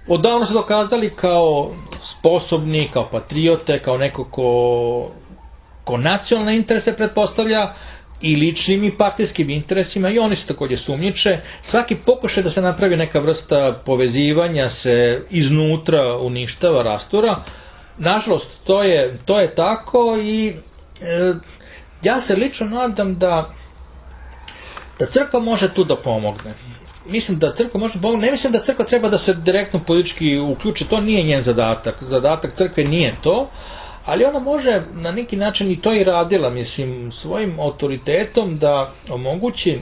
odavno se dokazali kao sposobni, kao patriote, kao neko ko, ko nacionalne interese pretpostavlja i ličnim i partijskim interesima, i oni se također sumnjiče. Svaki pokušaj da se napravi neka vrsta povezivanja se iznutra uništava, rastura. Nažalost, to je, to je tako i e, ja se lično nadam da, da crkva može tu da pomogne. Mislim da crkva može pomoći, ne mislim da crkva treba da se direktno politički uključi, to nije njen zadatak, zadatak crkve nije to, ali ona može na neki način i to i radila, mislim, svojim autoritetom da omogući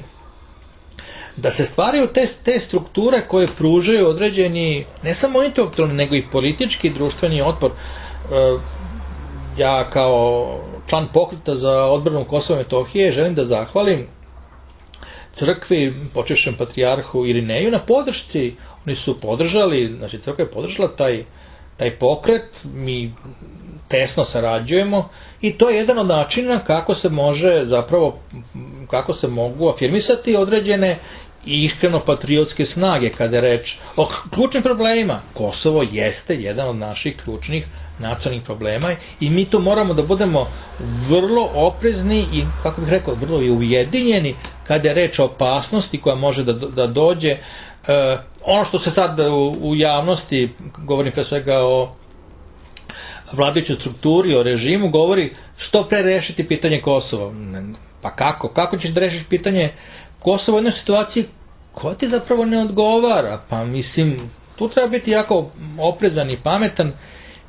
da se stvaraju te, te strukture koje pružaju određeni, ne samo intelektualni, nego i politički i društveni otpor. E, ja kao član pokreta za odbranu Kosova i Metohije želim da zahvalim crkvi, počešćem patrijarhu Irineju na podršci. Oni su podržali, znači crkva je podržala taj, taj pokret, mi tesno sarađujemo i to je jedan od načina kako se može zapravo, kako se mogu afirmisati određene i iskreno patriotske snage kada je reč o ključnim problemima. Kosovo jeste jedan od naših ključnih nacionalnih problema i mi tu moramo da budemo vrlo oprezni i, kako bih rekao, vrlo i ujedinjeni kada je reč o opasnosti koja može da, da dođe. E, ono što se sad u, u javnosti, govorim pre svega o vladajućoj strukturi, o režimu, govori što pre rešiti pitanje Kosova. Pa kako? Kako ćeš da rešiš pitanje Kosova u jednoj situaciji koja ti zapravo ne odgovara? Pa mislim, tu treba biti jako oprezan i pametan.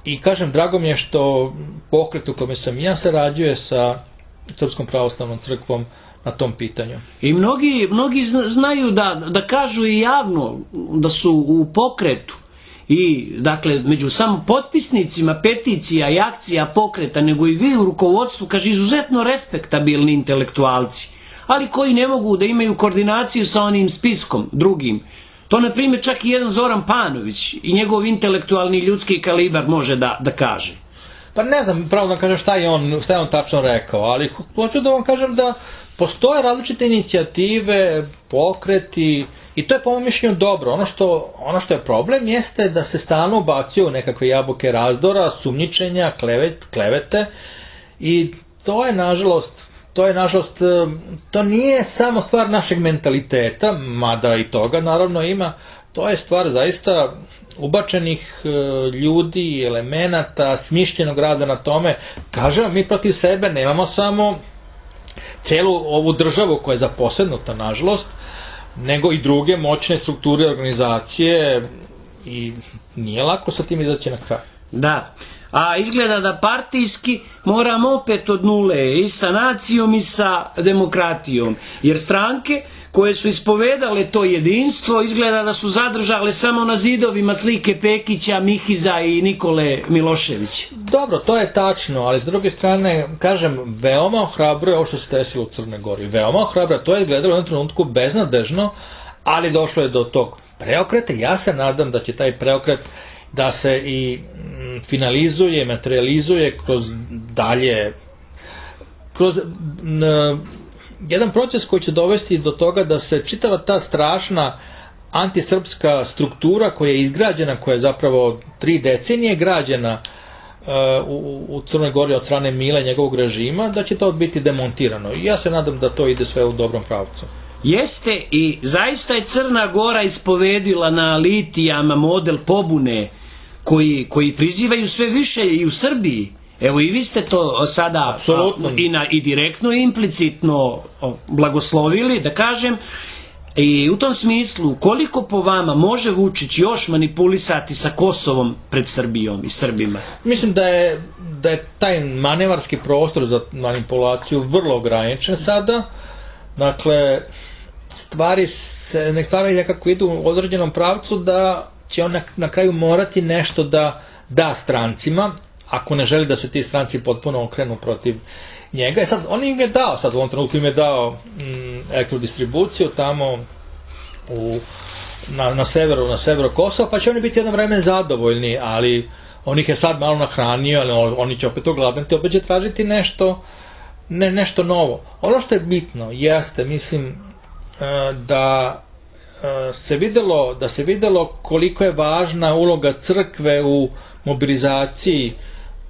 I kažem, drago mi je što pokret u kome sam ja sarađuje sa Srpskom pravoslavnom crkvom na tom pitanju. I mnogi, mnogi znaju da, da kažu i javno da su u pokretu i dakle među samo potpisnicima peticija i akcija pokreta, nego i vi u rukovodstvu, kaže, izuzetno respektabilni intelektualci, ali koji ne mogu da imaju koordinaciju sa onim spiskom drugim. To, na primjer, čak i jedan Zoran Panović i njegov intelektualni ljudski kalibar može da, da kaže. Pa ne znam, pravo da kažem šta je on, šta je on tačno rekao, ali hoću da vam kažem da postoje različite inicijative, pokreti, i to je po mom mišljenju dobro. Ono što, ono što je problem jeste da se stalno ubacuju nekakve jabuke razdora, sumnjičenja, klevet, klevete, i to je nažalost To je, nažalost, to nije samo stvar našeg mentaliteta, mada i toga naravno ima, to je stvar zaista ubačenih ljudi, elemenata, smišljenog rada na tome. Kažem, mi protiv sebe nemamo samo celu ovu državu koja je zaposednuta, nažalost, nego i druge moćne strukture, organizacije, i nije lako sa tim izaći na kraj. Da. A izgleda da partijski moramo opet od nule i sa nacijom i sa demokratijom. Jer stranke koje su ispovedale to jedinstvo izgleda da su zadržale samo na zidovima slike Pekića, Mihiza i Nikole Miloševića. Dobro, to je tačno, ali s druge strane, kažem, veoma ohrabro je ovo što se desilo u Crnoj Gori. Veoma ohrabro, to je izgledalo u jednom trenutku beznadežno, ali došlo je do tog preokreta. Ja se nadam da će taj preokret da se i finalizuje, materializuje kroz dalje, kroz n, jedan proces koji će dovesti do toga da se čitava ta strašna antisrpska struktura koja je izgrađena, koja je zapravo tri decenije građena uh, u, u Crnoj Gori od strane Mila i njegovog režima, da će to biti demontirano. I ja se nadam da to ide sve u dobrom pravcu. Jeste, i zaista je Crna Gora ispovedila na litijama model pobune koji, koji prizivaju sve više i u Srbiji. Evo i vi ste to sada Apsolutno. i, na, i direktno i implicitno blagoslovili, da kažem, i u tom smislu koliko po vama može Vučić još manipulisati sa Kosovom pred Srbijom i Srbima? Mislim da je, da je taj manevarski prostor za manipulaciju vrlo ograničen sada. Dakle, stvari se ne stvari nekako idu u određenom pravcu da će on na, na kraju morati nešto da da strancima, ako ne želi da se ti stranci potpuno okrenu protiv njega. E sad, on im je dao, sad u ovom trenutku im je dao mm, elektrodistribuciju tamo u, na, na severu, na severu Kosova, pa će oni biti jedno vreme zadovoljni, ali on ih je sad malo nahranio, ali oni će opet ogladniti, opet će tražiti nešto, ne, nešto novo. Ono što je bitno jeste, mislim, da se videlo, da se videlo koliko je važna uloga crkve u mobilizaciji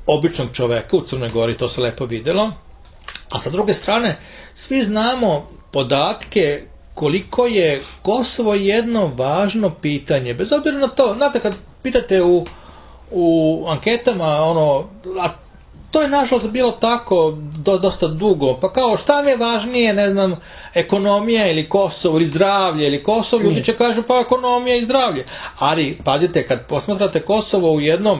običnog čoveka u Crnoj Gori, to se lepo videlo. A sa druge strane, svi znamo podatke koliko je Kosovo jedno važno pitanje, bez obzira na to, znate, kad pitate u, u anketama, ono, a to je nažalost bilo tako do, dosta dugo, pa kao šta mi je važnije, ne znam, ekonomija ili Kosovo ili zdravlje ili Kosovo, ljudi će kažu pa ekonomija i zdravlje. Ali, pazite, kad posmatrate Kosovo u jednom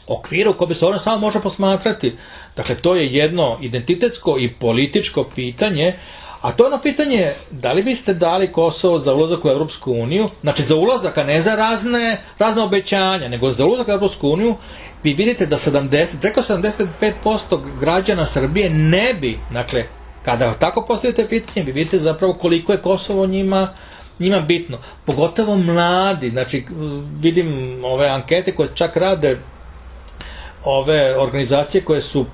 okviru ko bi se ono samo može posmatrati, dakle to je jedno identitetsko i političko pitanje, a to je ono pitanje, da li biste dali Kosovo za ulazak u Europsku uniju, znači za ulazak, a ne za razne, razne obećanja, nego za ulazak u Europsku uniju. Vi vidite da sedamdeset, preko sedamdeset pet posto građana Srbije ne bi, dakle, kada tako postavite pitanje, vi vidite zapravo koliko je Kosovo njima, njima bitno. Pogotovo mladi, znači vidim ove ankete koje čak rade ove organizacije koje su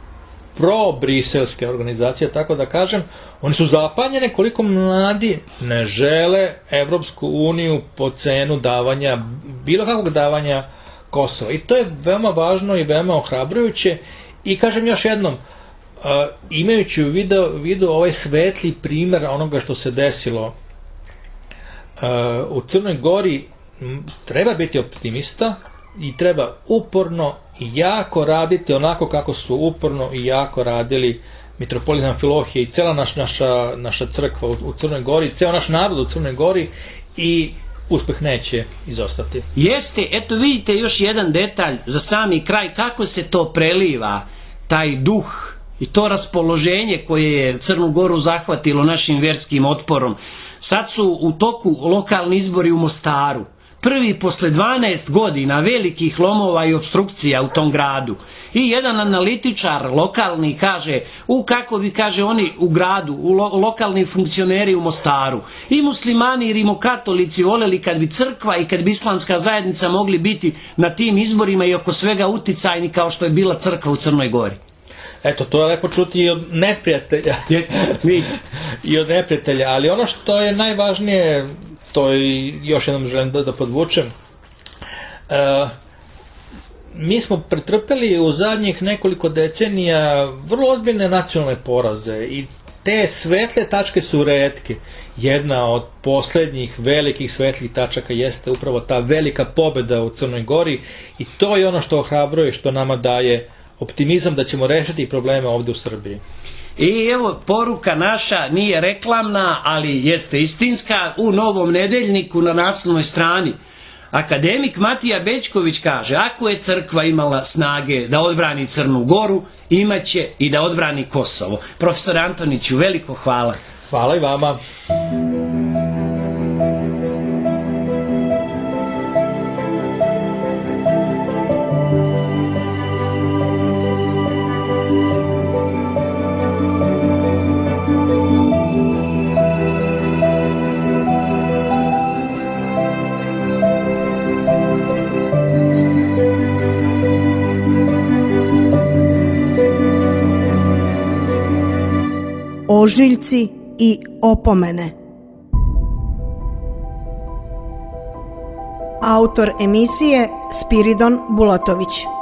pro-briselske organizacije, tako da kažem, oni su zapanjene koliko mladi ne žele Evropsku uniju po cenu davanja, bilo kakvog davanja Kosova. I to je veoma važno i veoma ohrabrujuće. I kažem još jednom, uh, imajući u vidu, vidu ovaj svetli primjer onoga što se desilo uh, u Crnoj Gori, treba biti optimista i treba uporno i jako raditi onako kako su uporno i jako radili mitropolit Amfilohije i cela naš, naša, naša crkva u, u Crnoj Gori, ceo naš narod u Crnoj Gori, i uspeh neće izostati. Jeste, eto vidite još jedan detalj za sami kraj, kako se to preliva, taj duh i to raspoloženje koje je Crnu Goru zahvatilo našim verskim otporom. Sad su u toku lokalni izbori u Mostaru. Prvi posle dvanaest godina velikih lomova i obstrukcija u tom gradu. I jedan analitičar lokalni kaže, u kako bi kaže oni u gradu, u lo, lokalni funkcioneri u Mostaru, i muslimani i rimokatolici voljeli kad bi crkva i kad bi islamska zajednica mogli biti na tim izborima i oko svega uticajni kao što je bila crkva u Crnoj Gori. Eto, to je lepo čuti i od neprijatelja. I od neprijatelja, ali ono što je najvažnije, to je još jednom želim da, da podvučem, uh, mi smo pretrpeli u zadnjih nekoliko decenija vrlo ozbiljne nacionalne poraze i te svetle tačke su retke. Jedna od poslednjih velikih svetlih tačaka jeste upravo ta velika pobeda u Crnoj Gori i to je ono što ohrabruje, što nama daje optimizam da ćemo rešiti probleme ovde u Srbiji. I evo, poruka naša nije reklamna, ali jeste istinska. U Novom nedeljniku na naslovnoj strani Akademik Matija Bećković kaže, ako je crkva imala snage da odbrani Crnu Goru, imaće i da odbrani Kosovo. Profesor Antoniću, veliko hvala. Hvala i vama. Ožiljci i opomene. Autor emisije Spiridon Bulatović.